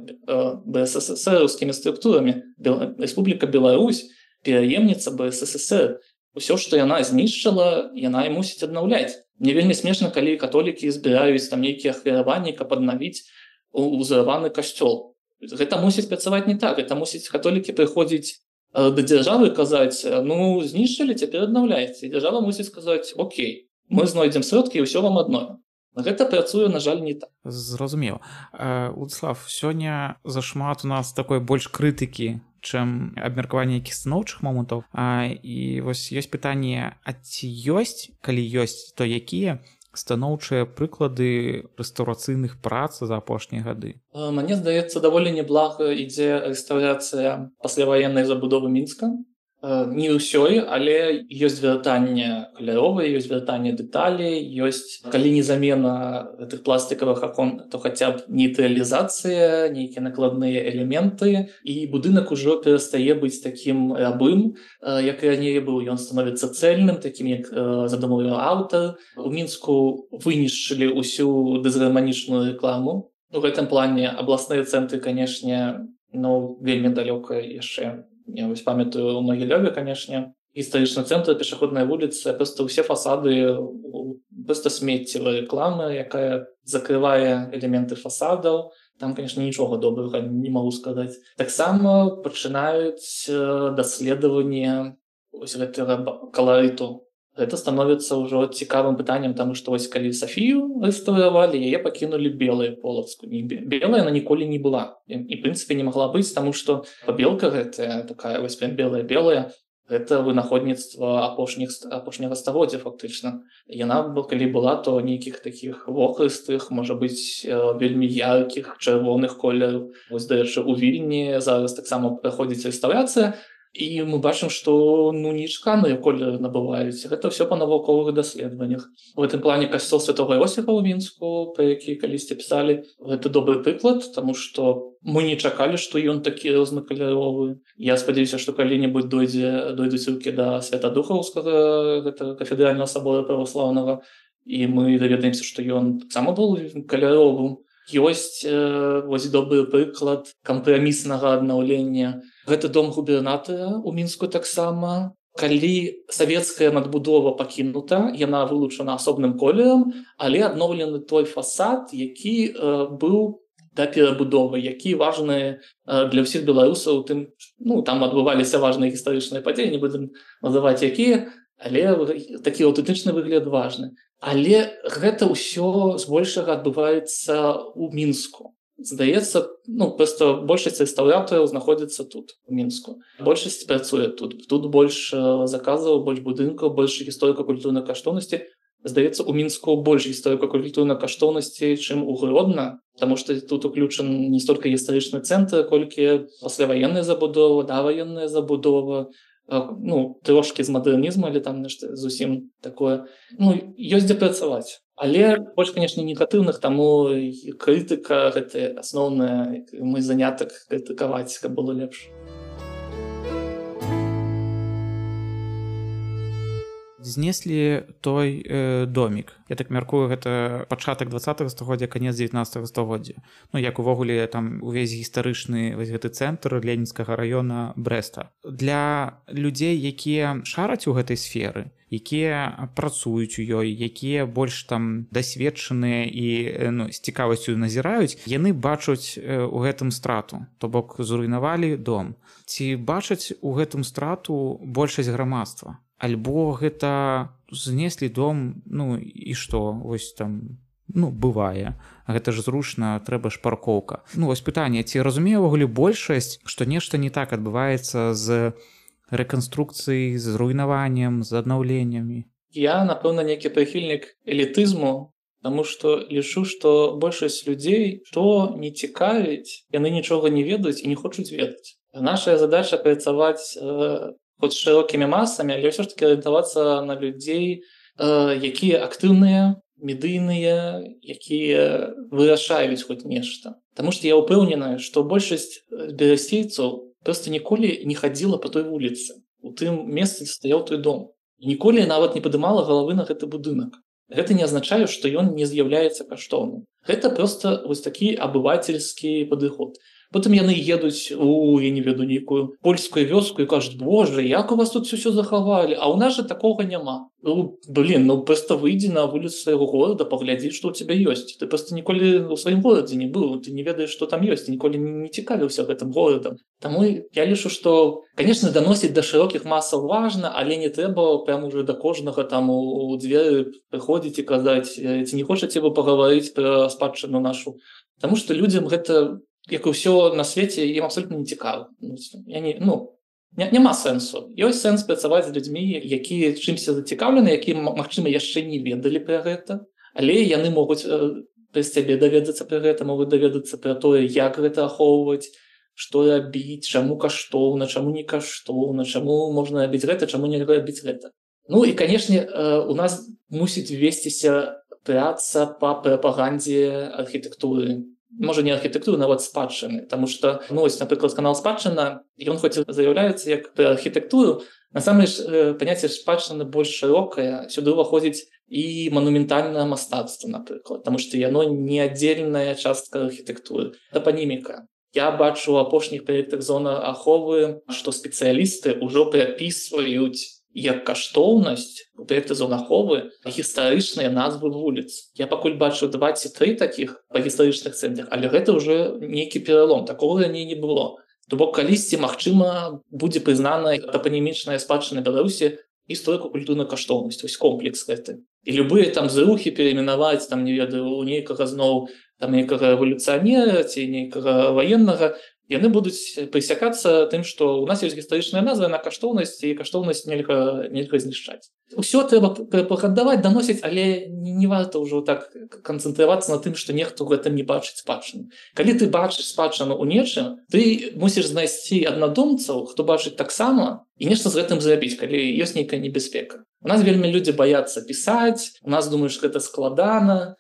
БССРаўскімі структурамі. Рэспубліка Беларусь, пераемніца БССР. Усё, што яна знішчыла, яна і мусіць аднаўляць. Мне вельмі смешна, калі католікі збіраюць там нейкія ахвяраванні, каб аднавіць узраваны касцёл. Гэта мусіць працаваць не так. Гэта мусіць католікі прыходзіць да дзяржавы і казаць, ну, знішчылі, цяпер аднаўляйце. І дзяржава мусіць сказаць, окей, мы знойдзем сродкі і ўсё вам адновім. Гэта працуе, на жаль, не так. Зразумела. Уладзіслав, сёння зашмат у нас такой больш крытыкі, чым абмеркаванне якіх станоўчых момантаў. І вось ёсць пытанне, а ці ёсць, калі ёсць, то якія станоўчыя прыклады рэстаўрацыйных прац за апошнія гады? Мне здаецца, даволі неблага ідзе рэстаўрацыя пасляваеннай забудовы Мінска. Не ўсёй, але ёсць вяртанне каляровае, ёсць вяртанне дэталей, ёсць, калі не замена гэтых пластикавых акон, то хаця б нейтралізацыя, нейкія накладныя элементы, і будынак ужо перастае быць такім рабым, як раней быў. Ён становіцца цэльным, такім, як задумаў аўтар. У Мінску вынішчылі ўсю дызгарманічную рэкламу. У гэтым плане абласныя цэнтры, канешне, ну, вельмі далёка яшчэ. Я вось памятаю, у Магілёве, канешне, гістарычны цэнтр, пешаходная вуліца, проста ўсе фасады проста смеццевая рэклама, якая закрывае элементы фасадаў. Там, канешне, нічога добрага не магу сказаць. Таксама пачынаюць даследаванне вось гэтага каларыту. Гэта становіцца ўжо цікавым пытаннем, таму што вось калі Сафію рэстаўравалі, яе пакінулі белая полацку. Белая яна ніколі не была. І, в прынцыпе, не магла быць, таму што пабелка гэтая, такая вось прям белая-белая, гэта вынаходніцтва апошніх, апошняга стагоддзя, фактычна. Яна, калі была, то нейкіх такіх вохрыстых, можа быць, вельмі яркіх, чырвоных колераў. Вось, дарэчы, у Вільні зараз таксама праходзіць рэстаўрацыя, і мы бачым, што ну, нечаканыя колеры набываюць. Гэта ўсё па навуковых даследаваннях. У гэтым плане касцёл Святога Іосіфа ў Мінску, пра які калісьці пісалі, гэта добры прыклад, таму што мы не чакалі, што ён такі рознакаляровы. Я спадзяюся, што калі-небудзь дойдзе, дойдуць рукі да Святадухаўскага, гэта кафедральнага сабора праваслаўнага, і мы даведаемся, што ён таксама быў каляровым. Ёсць э, вось добры прыклад кампраміснага аднаўлення. Гэта дом губернатара ў Мінску таксама. Калі савецкая надбудова пакінута, яна вылучана асобным колерам, але адноўлены той фасад, які э, быў да перабудовы, які важны э, для ўсіх беларусаў. Тым, ну, там адбываліся важныя гістарычныя падзеі, не будзем называць якія, але такі аўтэнтычны выгляд важны. Але гэта ўсё збольшага адбываецца ў Мінску. Здаецца, ну, проста большасць рэстаўратараў знаходзіцца тут, у Мінску. Большасць працуе тут. Тут больш заказаў, больш будынкаў, больш гісторыка-культурнай каштоўнасці. Здаецца, у Мінску больш гісторыка-культурнай каштоўнасці, чым у Гродна, таму што тут уключан не столькі гістарычны цэнтр, колькі пасляваенная забудова, даваенная забудова, ну, трошкі з мадэрнізму, але там нешта зусім такое. Ну, ёсць дзе працаваць. Але больш, канешне, негатыўных, таму крытыка гэта асноўная, мой занятак крытыкаваць, каб было лепш. Знеслі той э, домік. Я так мяркую, гэта пачатак дваццатага стагоддзя, канец дзевятнаццатага стагоддзя. Ну, як увогуле там увесь гістарычны вось гэты цэнтр Ленінскага раёна Брэста. Для людзей, якія шараць у гэтай сферы, якія працуюць у ёй, якія больш там дасведчаныя і ну, з цікавасцю назіраюць, яны бачаць у гэтым страту. То бок зруйнавалі дом. Ці бачаць у гэтым страту большасць грамадства? Альбо гэта знеслі дом, ну і што, вось там, ну, бывае. Гэта ж зручна, трэба ж паркоўка. Ну, вось пытанне, ці разумее ўвогуле большасць, што нешта не так адбываецца з рэканструкцыяй, з руйнаваннем, з аднаўленнямі? Я, напэўна, нейкі прыхільнік элітызму, таму што лічу, што большасць людзей, што не цікавіць, яны нічога не ведаюць і не хочуць ведаць. Наша задача працаваць э, хоць шырокімі масамі, але ўсё ж такі арыентавацца на людзей, э, якія актыўныя, медыйныя, якія вырашаюць хоць нешта. Таму што я ўпэўненая, што большасць берасцейцаў проста ніколі не хадзіла па той вуліцы. У тым месцы стаяў той дом. І ніколі нават не падымала галавы на гэты будынак. Гэта не азначае, што ён не з'яўляецца каштоўным. Гэта проста вось такі абывацельскі падыход. Потым яны едуць у, я не веду, нейкую польскую вёску і кажуць: «Боже, як у вас тут ўсё захавалі? А ў нас жа такога няма». Ну, блин, ну проста выйдзі на вуліцу свайго горада, паглядзі, што ў цябе ёсць. Ты проста ніколі ў сваім горадзе не быў, ты не ведаеш, што там ёсць, ніколі не цікавіўся гэтым горадам. Таму я лічу, што, канешне, даносіць да шырокіх масаў важна, але не трэба прям уже да кожнага там у дзверы прыходзіць і казаць: «Ці не хочаце вы пагаварыць пра спадчыну нашу?» Таму што людзям гэта, як і ўсё на свеце, ім абсолютна не цікава. Я не, ну, няма сэнсу. Ёсць сэнс працаваць з людзьмі, якія чымся зацікаўлены, якія, магчыма, яшчэ не ведалі пра гэта, Але яны могуць праз цябе даведацца пра гэта, могуць даведацца пра тое, як гэта ахоўваць, што рабіць, чаму каштоўна, чаму не каштоўна, чаму можна рабіць гэта, чаму не рабіць гэта. Ну і, канешне, у нас мусіць весціся праца па прапагандзе архітэктуры. Можа, не архітэктуры, нават спадчыны, таму што, ну, ось, напрыклад, канал «Спадчына», ён хоць і заяўляецца як пра архітэктуру, насамрэч паняцце спадчыны больш шырокае, сюды ўваходзіць і манументальнае мастацтва, напрыклад, таму што яно не аддзельная частка архітэктуры. Тапаніміка. Я бачу у апошніх праектах зоны аховы, што спецыялісты ўжо прапісваюць як каштоўнасць у праекта зоны аховы гістарычныя назвы вуліц. Я пакуль бачу два ці тры такіх па гістарычных цэнтрах, але гэта ўжо нейкі пералом, такога раней не было. То бок калісьці, магчыма, будзе прызнана тапанімічная спадчына Беларусі історико-культурнай каштоўнасцю, вось комплекс гэты. І любыя там зрухі перайменаваць, там, не ведаю, у нейкага зноў там нейкага рэвалюцыянера ці нейкага ваеннага, яны будуць прысякацца тым, што ў нас ёсць гістарычная назва на каштоўнасць, і каштоўнасць нельга, нельга знішчаць. Усё трэба прапагандаваць, даносіць, але не варта ўжо так канцэнтравацца на тым, што нехто ў гэтым не бачыць спадчыну. Калі ты бачыш спадчыну ў нечым, ты мусіш знайсці аднадумцаў, хто бачыць таксама, і нешта з гэтым зрабіць, калі ёсць нейкая небяспека. У нас вельмі людзі баяцца пісаць, у нас думаюць, што гэта складана.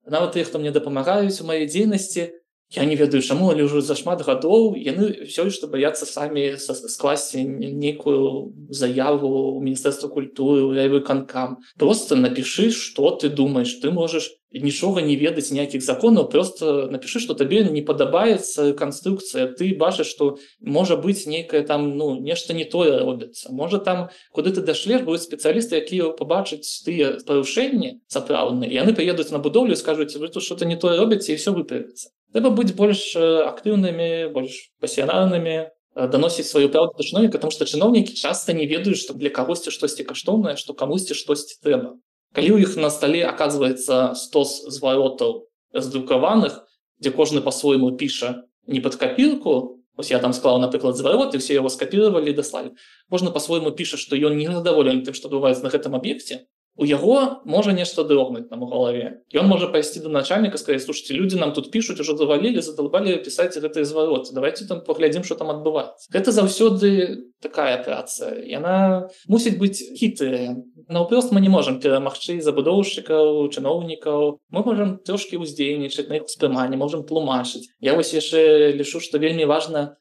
Нават тыя, хто мне дапамагаюць у маёй дзейнасці, я не ведаю чаму, але ўжо за шмат гадоў яны ўсё што баяцца самі скласці нейкую заяву ў Міністэрства культуры, у райвыканкам. Проста напішы, што ты думаеш, ты можаш нічога не ведаць, ніякіх законаў, проста напішы, што табе не падабаецца канструкцыя, ты бачыш, што можа быць нейкае там, ну, нешта не тое робіцца. Можа там, куды ты дашлеш, будуць спецыялісты, якія пабачаць тыя парушэнні сапраўдныя, і яны прыедуць на будоўлю і скажуць, вы тут што-то не тое робіце, і ўсё выправіцца. Трэба быць больш актыўнымі, больш пасіянарнымі, даносіць сваю праўду да чыноўніка, таму што чыноўнікі часта не ведаюць, што для кагосьці штосьці каштоўнае, што камусьці штосьці трэба. Калі ў іх на стале аказваецца стос зваротаў раздрукаваных, дзе кожны па-свойму піша не пад капірку, вось я там склаў, напрыклад, зварот, і ўсе яго скапіравалі і даслалі. Кожны па-свойму піша, што ён не задаволены тым, што адбываецца на гэтым аб'екце, у яго можа нешта дрогнуць там у галаве. Ён можа пайсці да начальніка, сказаць, слушайте, людзі нам тут пішуць, ужо завалілі, задалбалі пісаць гэтыя звароты. Давайте там паглядзім, што там адбываецца. Гэта заўсёды такая праца. Яна мусіць быць хітрая. Наўпрост мы не можам перамагчы забудоўшчыкаў, чыноўнікаў. Мы можам трошкі ўздзейнічаць на іх успрыманне, можам тлумачыць. Я вось яшчэ лічу, што вельмі важна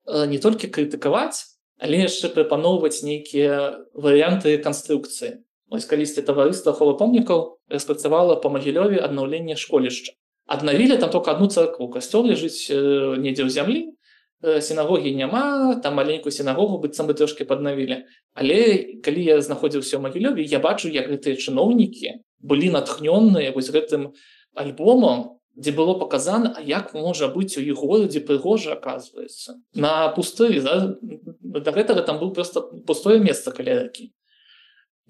не толькі крытыкаваць, але яшчэ прапаноўваць нейкія варыянты канструкцыі. Ось калісьці таварыства аховы помнікаў распрацавала па Магілёве аднаўленне школішча. Аднавілі там толькі адну царкву, касцёл ляжыць недзе ў зямлі, сінагогі няма, там маленькую сінагогу быццам бы трошкі паднавілі. Але калі я знаходзіўся ў Магілёве, я бачу, як гэтыя чыноўнікі былі натхнёныя вось гэтым альбомам, дзе было паказана, а як можа быць у іх горадзе прыгожа, аказваецца. На пустырі, да гэтага там было проста пустое месца каля ракі.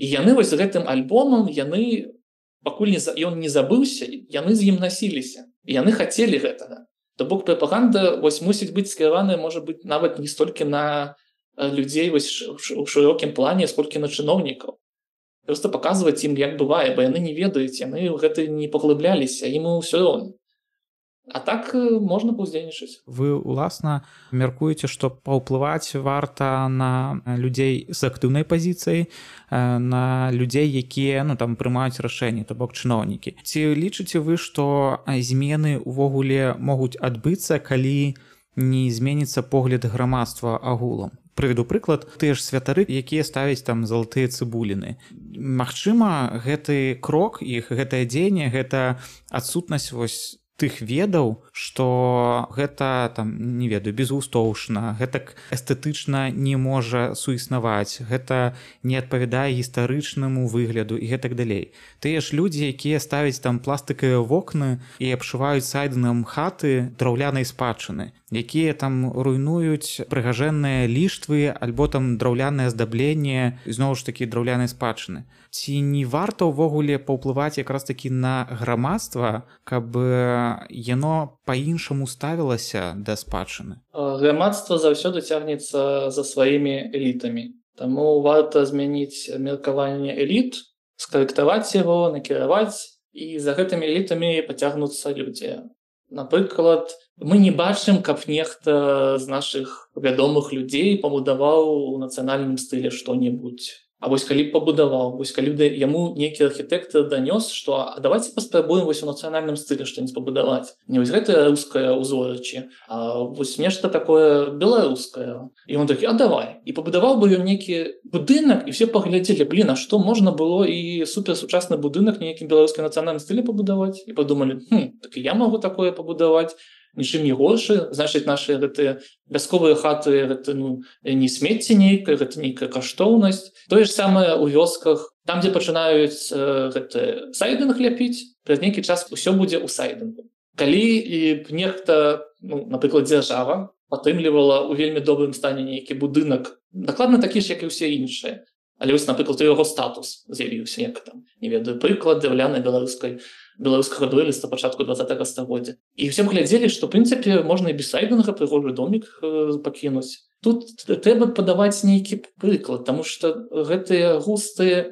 І яны вось гэтым альбомам, яны, пакуль не, ён не забыўся, яны з ім насіліся. І яны хацелі гэтага. То бок прапаганда вось мусіць быць скіраваная, можа быць, нават не столькі на людзей вось у шырокім плане, сколькі на чыноўнікаў. Проста паказваць ім, як бывае, бо яны не ведаюць, яны ў гэта не паглыбляліся, ім усё роўна. А так можна паўздзейнічаць. Вы, уласна, мяркуеце, што паўплываць варта на людзей з актыўнай пазіцыяй, на людзей, якія, ну, там прымаюць рашэнні, то бок чыноўнікі. Ці лічыце вы, што змены ўвогуле могуць адбыцца, калі не зменіцца погляд грамадства агулам? Прыведу прыклад, тыя ж святары, якія ставяць там залатыя цыбуліны. Магчыма, гэты крок, іх гэтае дзеянне, гэта адсутнасць вось тых ведаў, што гэта там, не ведаю, безгустоўшна, гэтак эстэтычна не можа суіснаваць, гэта не адпавядае гістарычнаму выгляду і гэтак далей. Тыя ж людзі, якія ставяць там пластыкавыя вокны і абшываюць сайдынам хаты драўлянай спадчыны, якія там руйнуюць прыгажэнныя ліштвы альбо там драўлянае аздабленне, зноў ж такі драўлянай спадчыны. Ці не варта ўвогуле паўплываць якраз такі на грамадства, каб яно па-іншаму ставілася да спадчыны? Грамадства заўсёды цягнецца за сваімі элітамі. Таму варта змяніць меркаванне эліт, скарэктаваць яго, накіраваць і за гэтымі элітамі пацягнуцца людзі. Напрыклад, мы не бачым, каб нехта з нашых вядомых людзей пабудаваў у нацыянальным стылі што-небудзь. А вось калі пабудаваў, вось калі яму нейкі архітэктар данёс, што а давайте паспрабуем вось у нацыянальным стылі што-нибудь пабудаваць. Не вось гэтае рускае ўзорачы, а вось нешта такое беларускае. І ён такі, а давай. І пабудаваў бы ён нейкі будынак, і все паглядзелі, блин, а што можна было і суперсучасны будынак нейкім беларускім нацыянальным стылі пабудаваць? І падумалі, хм, так і я магу такое пабудаваць. Нічым не горшы, значыць, нашы гэтыя вясковыя хаты гэта ну, не смецце нейкае, гэта нейкая каштоўнасць. Тое ж самае ў вёсках, там, дзе пачынаюць э, сайдынг ляпіць, праз нейкі час усё будзе ў сайдынгу. Калі і нехта, ну, напрыклад, дзяржава падтрымлівала ў вельмі добрым стане нейкі будынак, дакладна такі ж, як і ўсе іншыя. Але вось, напрыклад, яго статус з'явіўся, як там, не ведаю, прыклад драўлянай беларускай беларускага дуэліста пачатку двадцатага стагоддзя. І ўсе глядзелі, што, ў прынцыпе, можна і без сайдынга прыгожы домік э, пакінуць. Тут трэба падаваць нейкі прыклад, таму што гэтыя густы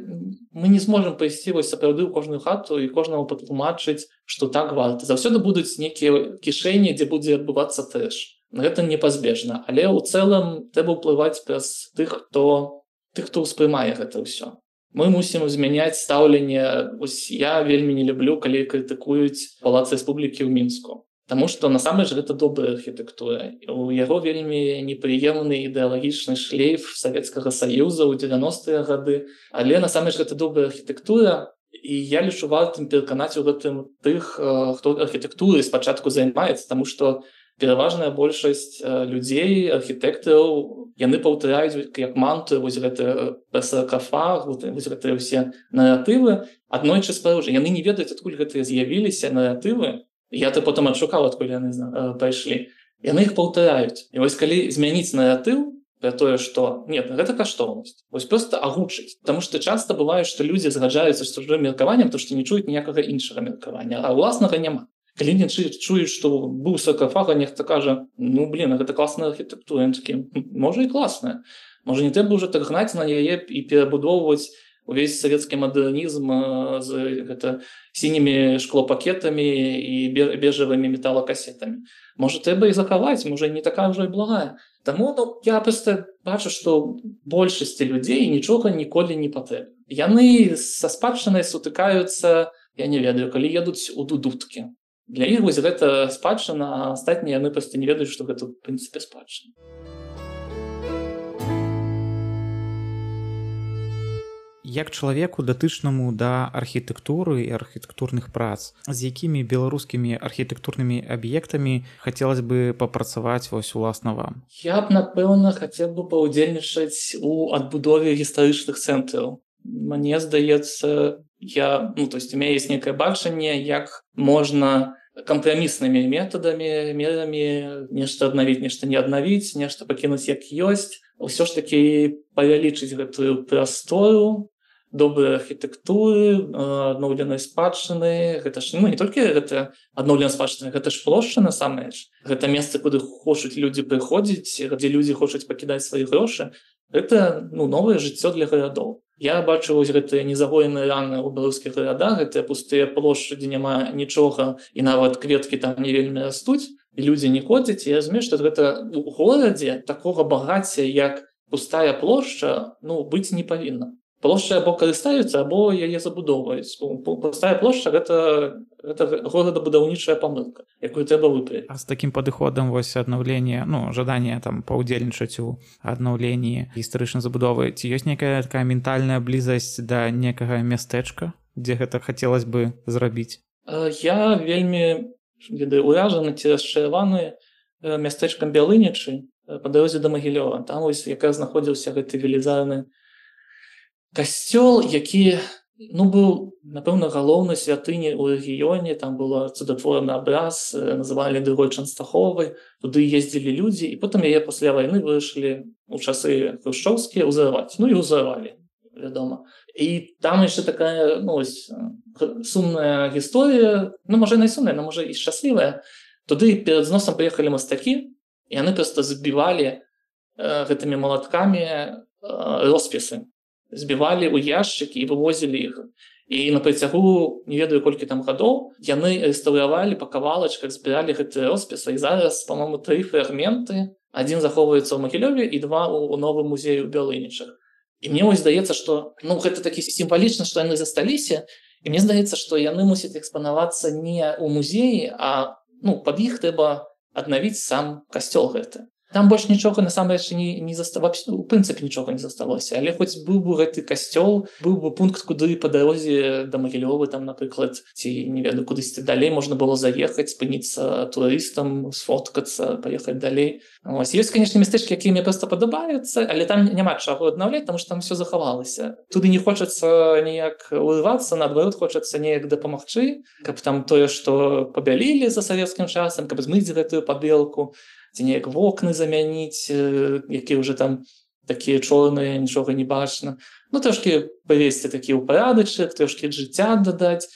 мы не зможам пайсці вось сапраўды ў кожную хату і кожнаму патлумачыць, што так варта. Заўсёды будуць нейкія кішэні, дзе будзе адбывацца трэш. Гэта непазбежна, але ў цэлым трэба ўплываць праз тых, хто тых, хто ўспрымае гэта ўсё. Мы мусім змяняць стаўленне. Ось я вельмі не люблю, калі крытыкуюць палац Рэспублікі ў Мінску. Таму што насамрэч гэта добрая архітэктура. У яго вельмі непрыемны ідэалагічны шлейф Савецкага Саюза ў дзевяностыя гады, але насамрэч гэта добрая архітэктура. І я лічу вартым пераканаць у гэтым тых, хто архітэктурай спачатку займаецца, таму што пераважная большасць людзей, архітэктараў, яны паўтараюць як мантру вось гэты саркафаг, вось гэтыя ўсе наратывы. Аднойчы спаружа. Яны не ведаюць, адкуль гэтыя з'явіліся наратывы. Я то потым адшукаў, адкуль яны пайшлі. Яны іх паўтараюць. І вось калі змяніць наратыў пра тое, што нет, гэта каштоўнасць. Вось проста агучыць. Таму што часта бывае, што людзі згаджаюцца з чужым меркаваннем, то што не чуюць ніякага іншага меркавання, а ўласнага няма. Калі не чуюць, што быў саркафаг, а нехта кажа, ну, блин, гэта класная архітэктура. Ён такі, можа і класная. Можа, не трэба ўжо так гнаць на яе і перабудоўваць увесь савецкі мадэрнізм з гэта, сінімі шклопакетамі і бежавымі металакасетамі. Можа, трэба і захаваць, можа, не такая ўжо і благая. Таму ну, я проста бачу, што большасці людзей нічога ніколі не патрэбна. Яны са спадчынай сутыкаюцца, я не ведаю, калі едуць у дудуткі. Для іх вось гэта спадчына, а астатнія яны проста не ведаюць, што гэта ў прынцыпе спадчына. Як чалавеку датычнаму да архітэктуры і архітэктурных прац, з якімі беларускімі архітэктурнымі аб'ектамі хацелася бы папрацаваць вось уласна вам? Я б, напэўна, хацеў бы паўдзельнічаць у адбудове гістарычных цэнтраў. Мне здаецца, я, ну, то есть у меня есть некое бачанне, як можна кампраміснымі метадамі, мерамі нешта аднавіць, нешта не аднавіць, нешта пакінуць як ёсць. Усё ж такі павялічыць гэтую прастору, добрай архітэктуры, адноўленай спадчыны. Гэта ж ну, не толькі гэта адноўленая спадчына, гэта ж плошча насамрэч. Гэта месца, куды хочуць людзі прыходзіць, дзе людзі хочуць пакідаць свае грошы. Гэта ну, новае жыццё для гарадоў. Я бачу вось гэтыя незагоеныя раны ў беларускіх гарадах, гэтыя пустыя плошчы, дзе няма нічога, і нават кветкі там не вельмі растуць, і людзі не ходзяць. І я разумею, што гэта у горадзе такога багацця, як пустая плошча, ну, быць не павінна. Плошча або карыстаюцца, або яе забудоўваюць. Пустая плошча гэта, гэта горадабудаўнічая памылка, якую трэба выправіць. А з такім падыходам вось аднаўлення, ну, жаданне там паўдзельнічаць у аднаўленні гістарычнай забудовы, ці ёсць нейкая такая ментальная блізасць да некага мястэчка, дзе гэта хацелось бы зрабіць? Я вельмі ведаю уражаны ці расчараваны мястэчкам Бялынічы па дарозе да Магілёва. Там вось якраз знаходзіўся гэты велізарны касцёл, які ну, быў, напэўна, галоўнай святыні ў рэгіёне. Там было цудатворны абраз, называлі другой Чанстаховай. Туды ездзілі людзі, і потым яе пасля вайны вырашылі ў часы хрушчоўскія ўзарваць. Ну і ўзарвалі, вядома. І там яшчэ такая ну, ось, сумная гісторыя, ну, можа, і найсумная, но можа і шчаслівая. Туды перад зносам прыехалі мастакі, і яны проста забівалі э, гэтымі малаткамі э, роспісы. збівалі ў яшчыкі і вывозілі іх. І на працягу не ведаю колькі там гадоў яны рэстаўравалі па кавалачках, збіралі гэтыя роспісы. І зараз, па-мому, тры фрагменты, адзін захоўваецца ў Магілёве і два ў новым музеі ў Бялынічах. І мне вось здаецца, што ну гэта такі сімвалічна, што яны засталіся. І мне здаецца, што яны мусяць экспанавацца не ў музеі, а ну пад іх трэба аднавіць сам касцёл гэты. Там больш нічога насамрэч не, не засталося, у прынцыпе нічога не засталося, але хоць быў бы гэты касцёл, быў бы пункт, куды па дарозе да Магілёвы, там, напрыклад, ці не ведаю, кудысьці далей можна было заехаць, спыніцца турыстам, сфоткацца, паехаць далей. Ось. Ёсць, канешне, мястэчкі, якія мне проста падабаюцца, але там няма чаго аднаўляць, таму што там все захавалася. Туды не хочацца ніяк урвацца, наадварот, хочацца неяк дапамагчы, каб там тое, што пабялілі за савецкім часам, каб змыць гэтую пабелку, ці неяк вокны замяніць, якія ўжо там такія чорныя, нічога не бачна. Ну, трошкі павесці такі ў парадачак, трошкі жыцця дадаць.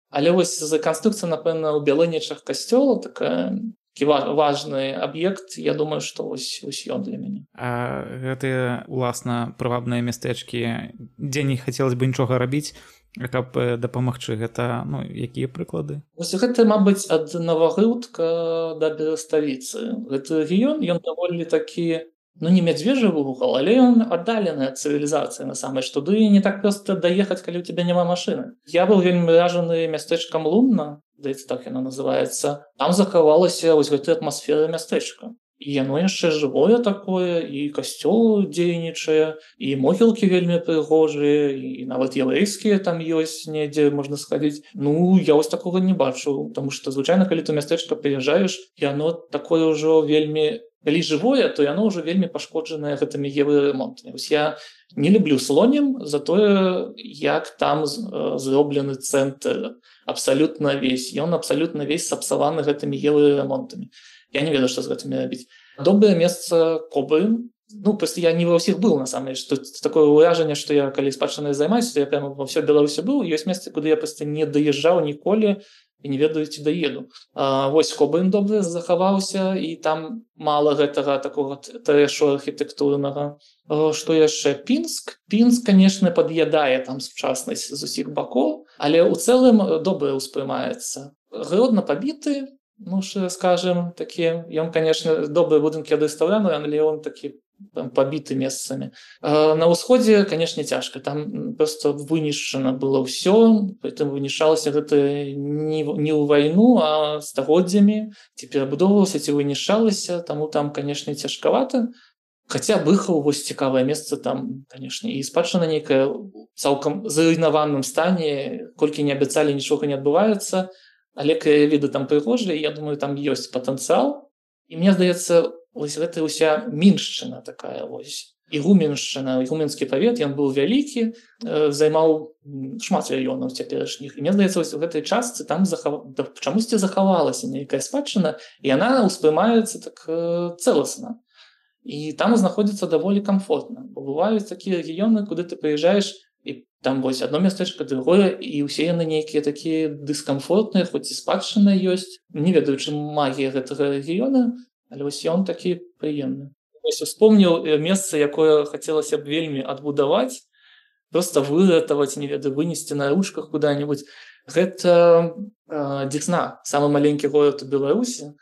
Але вось за канструкцыя, напэўна, у Бялынічах касцёла такая такі важны аб'ект, я думаю, што вось, вось ён для мяне. А гэтыя, уласна, прывабныя мястэчкі, дзе не хацелася бы нічога рабіць, каб дапамагчы, гэта ну якія прыклады? Вось гэта, мабыць, ад Навагрудка да Береставіцы. Гэты рэгіён, ён даволі такі, ну не мядзвежы вугал, але ён аддаленая цывілізацыя насамрэч. Туды не так проста даехаць, калі ў цябе няма машыны. Я быў вельмі ражаны мястэчкам Лунна, здаецца, так яно называецца. Там захавалася вось гэта атмасфера мястэчка. І яно яшчэ жывое такое, і касцёл дзейнічае, і могілкі вельмі прыгожыя, і нават яўрэйскія там ёсць недзе, можна схадзіць. Ну, я вось такога не бачу, таму што звычайна, калі ты мястэчка прыязджаеш, яно такое ўжо вельмі, калі жывое, то яно ўжо вельмі пашкоджанае гэтымі еўрэремонтамі. Вось я не люблю Слонім за тое, як там зроблены цэнтр абсалютна весь. Ён абсалютна весь сапсаваны гэтымі еўрэремонтамі. Я не ведаю, што з гэтымі рабіць. Добрае месца Кобрын. Ну, просто я не ва ўсіх быў, насамрэч. Тут такое ўражанне, што я, калі спадчынай займаюся, я прямо ва ўсёй Беларусі быў. Ёсць месцы, куды я проста не даязджаў ніколі і не ведаю, ці даеду. А, вось Кобрын добры захаваўся, і там мала гэтага такога трэшу архітэктурнага. А, што яшчэ? Пінск. Пінск, канешне, пад'ядае там сучаснасць з усіх бакоў, але ў цэлым добра ўспрымаецца. Гродна пабіты, ну, що скажем, такі, ён, конечно, добрыя будынкі адрэстаўраваны, але ён такі там пабіты месцамі. А на ўсходзе, конечно, цяжка. Там просто вынішчана было ўсё, притым вынішалася гэта не, не ў вайну, а стагоддзямі. Ці перабудоўвалася, ці вынішалася, таму там, конечно, цяжкавата. Хаця Быхаў, вось цікавае месца там, конечно, і спадчына нейкая цалкам зруйнаваным стане, колькі не абяцалі, нічога не адбываецца. Але краявіды там прыгожыя, я думаю, там ёсць патэнцыял. І мне здаецца, вось гэта ўся Міншчына такая вось. Ігуменшчына, ігуменскі павет, ён быў вялікі, займаў шмат раёнаў цяперашніх. І мне здаецца, вось у гэтай частцы там захав... чамусьці захавалася нейкая спадчына, і яна ўспрымаецца так цэласна. І там знаходзіцца даволі камфортна. Бо бываюць такія рэгіёны, куды ты прыязджаеш, і там вось адно мястэчка, другое, і ўсе яны нейкія такія дыскамфортныя, хоць і спадчына ёсць. Не ведаю, чым магія гэтага рэгіёна, але вось ён такі прыемны. Вось успомніў месца, якое хацелася б вельмі адбудаваць, проста выратаваць, не ведаю, вынесці на ручках куда-нибудь. Гэта э, Дзесна, самы маленькі горад у Беларусі.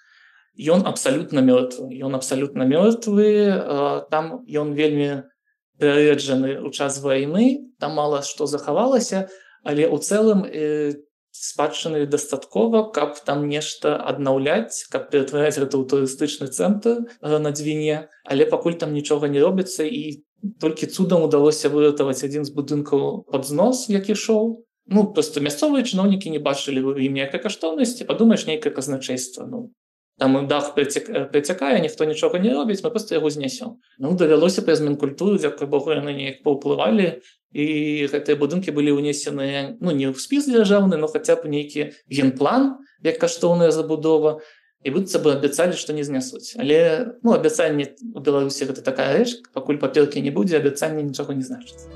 Ён абсалютна мёртвы. Ён абсалютна мёртвы. Э, там ён вельмі перараджаны ў час вайны, там мала што захавалася, але ў цэлым э, спадчыны дастаткова, каб там нешта аднаўляць, каб ператвараць гэта ў турыстычны цэнтр э, на Дзвіне, але пакуль там нічога не робіцца, і толькі цудам удалося выратаваць адзін з будынкаў пад знос, які шоў. Ну, проста мясцовыя чыноўнікі не бачылі ў ім ніякай каштоўнасці, падумаеш, нейкае казначэйства, ну, там дах працякае, ніхто нічога не робіць, мы проста яго знясём. Ну, давялося праз Мінкультуру, дзякуй Богу, яны неяк паўплывалі, і гэтыя будынкі былі ўнесены, ну, не ў спіс дзяржаўны, но хаця б нейкі генплан, як каштоўная забудова, і быццам бы абяцалі, што не знясуць. Але, ну, абяцанне ў Беларусі гэта такая рэч, пакуль паперкі не будзе, абяцанне нічога не значыць.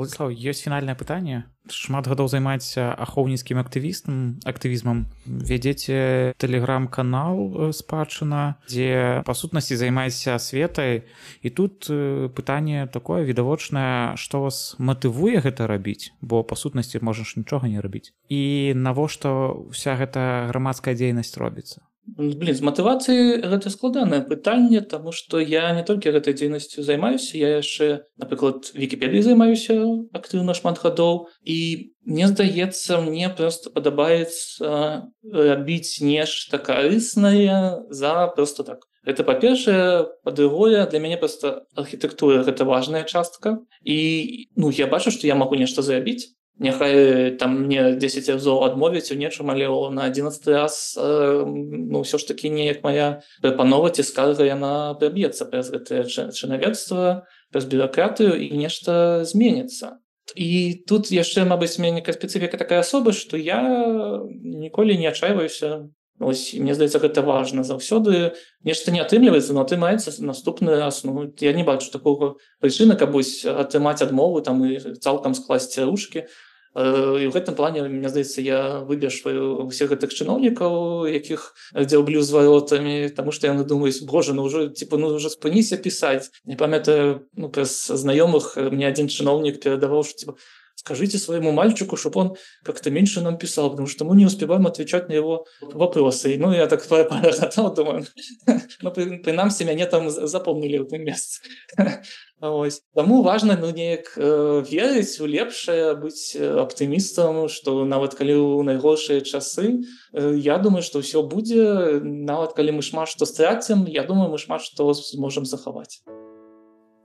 Владислав, ёсць фінальнае пытанне. Шмат гадоў займаецеся ахоўніцкім актывістам, актывізмам. Вядзеце тэлеграм-канал «Спадчына», дзе, па сутнасці, займаецеся асветай. І тут пытанне такое відавочнае, што вас матывуе гэта рабіць? Бо, па сутнасці, можаш нічога не рабіць. І навошта ўся гэта грамадская дзейнасць робіцца? Блин, з матывацыяй гэта складанае пытанне, таму што я не толькі гэтай дзейнасцю займаюся, я яшчэ, напрыклад, Вікіпедыяй займаюся актыўна шмат гадоў, і мне здаецца, мне проста падабаецца рабіць нешта карыснае за проста так. Гэта, па-першае, па-другое, для мяне проста архітэктура гэта важная частка, і ну я бачу, што я магу нешта зрабіць. Няхай там мне дзесяць разоў адмовіць у нечым, але на адзінаццаты раз э, ну ўсё ж такі неяк моя прапанова ці скарга яна праб'ецца праз гэтае чынавецтва, праз бюракратыю і нешта зменіцца. І тут яшчэ, мабыць, мяне некая спецыфіка такая асобы, што я ніколі не адчайваюся. Ось, мне здаецца, гэта важна заўсёды. Нешта не атрымліваецца, но атрымаецца наступны раз. Ну, я не бачу такога прычыны, каб атрымаць адмову там і цалкам скласці ручкі. І ў гэтым плане, мне здаецца, я выбешваю ўсіх гэтых чыноўнікаў, якіх дзяўблю з варотамі, таму што яны думаюць, боже, ну ўжо, типу, ну ўжо спыніся пісаць. Не памятаю, ну, праз знаёмых мне адзін чыноўнік перадаваў, што, типу, скажите своему мальчику, чтобы он как-то меньше нам писал, потому что мы не успеваем отвечать на его вопросы. И, ну, я так порохотал, думаю, ну, принамсі, мяне там запомнили в этом месте. Ось. Таму важна, ну, неяк э, верыць у лепшае, быць аптымістам, што нават калі ў найгоршыя часы, э, я думаю, што ўсё будзе, нават калі мы шмат што страцім, я думаю, мы шмат што зможам захаваць.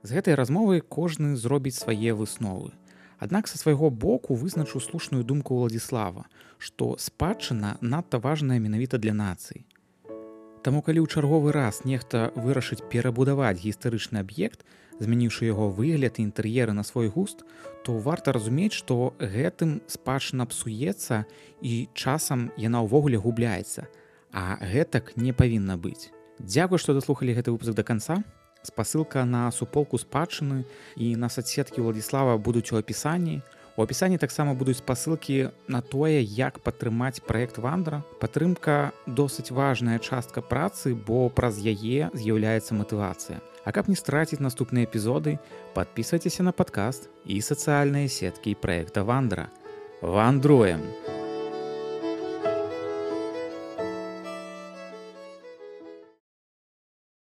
З гэтай размовы кожны зробіць свае высновы. Аднак са свайго боку вызначу слушную думку Владзіслава, што спадчына надта важная менавіта для нацыі. Таму калі ў чарговы раз нехта вырашыць перабудаваць гістарычны аб'ект, змяніўшы яго выгляд і інтэр'еры на свой густ, то варта разумець, што гэтым спадчына псуецца і часам яна ўвогуле губляецца, а гэтак не павінна быць. Дзякуй, што даслухалі гэты выпуск да канца. Спасылка на суполку спадчыны і на соцсеткі Владзіслава будуць у апісанні. У апісанні таксама будуць спасылкі на тое, як падтрымаць праект Вандра. Падтрымка досыць важная частка працы, бо праз яе з'яўляецца матывацыя. А каб не страціць наступныя эпізоды, падпісвайцеся на падкаст і сацыяльныя сеткі праекта Вандра. Вандруем!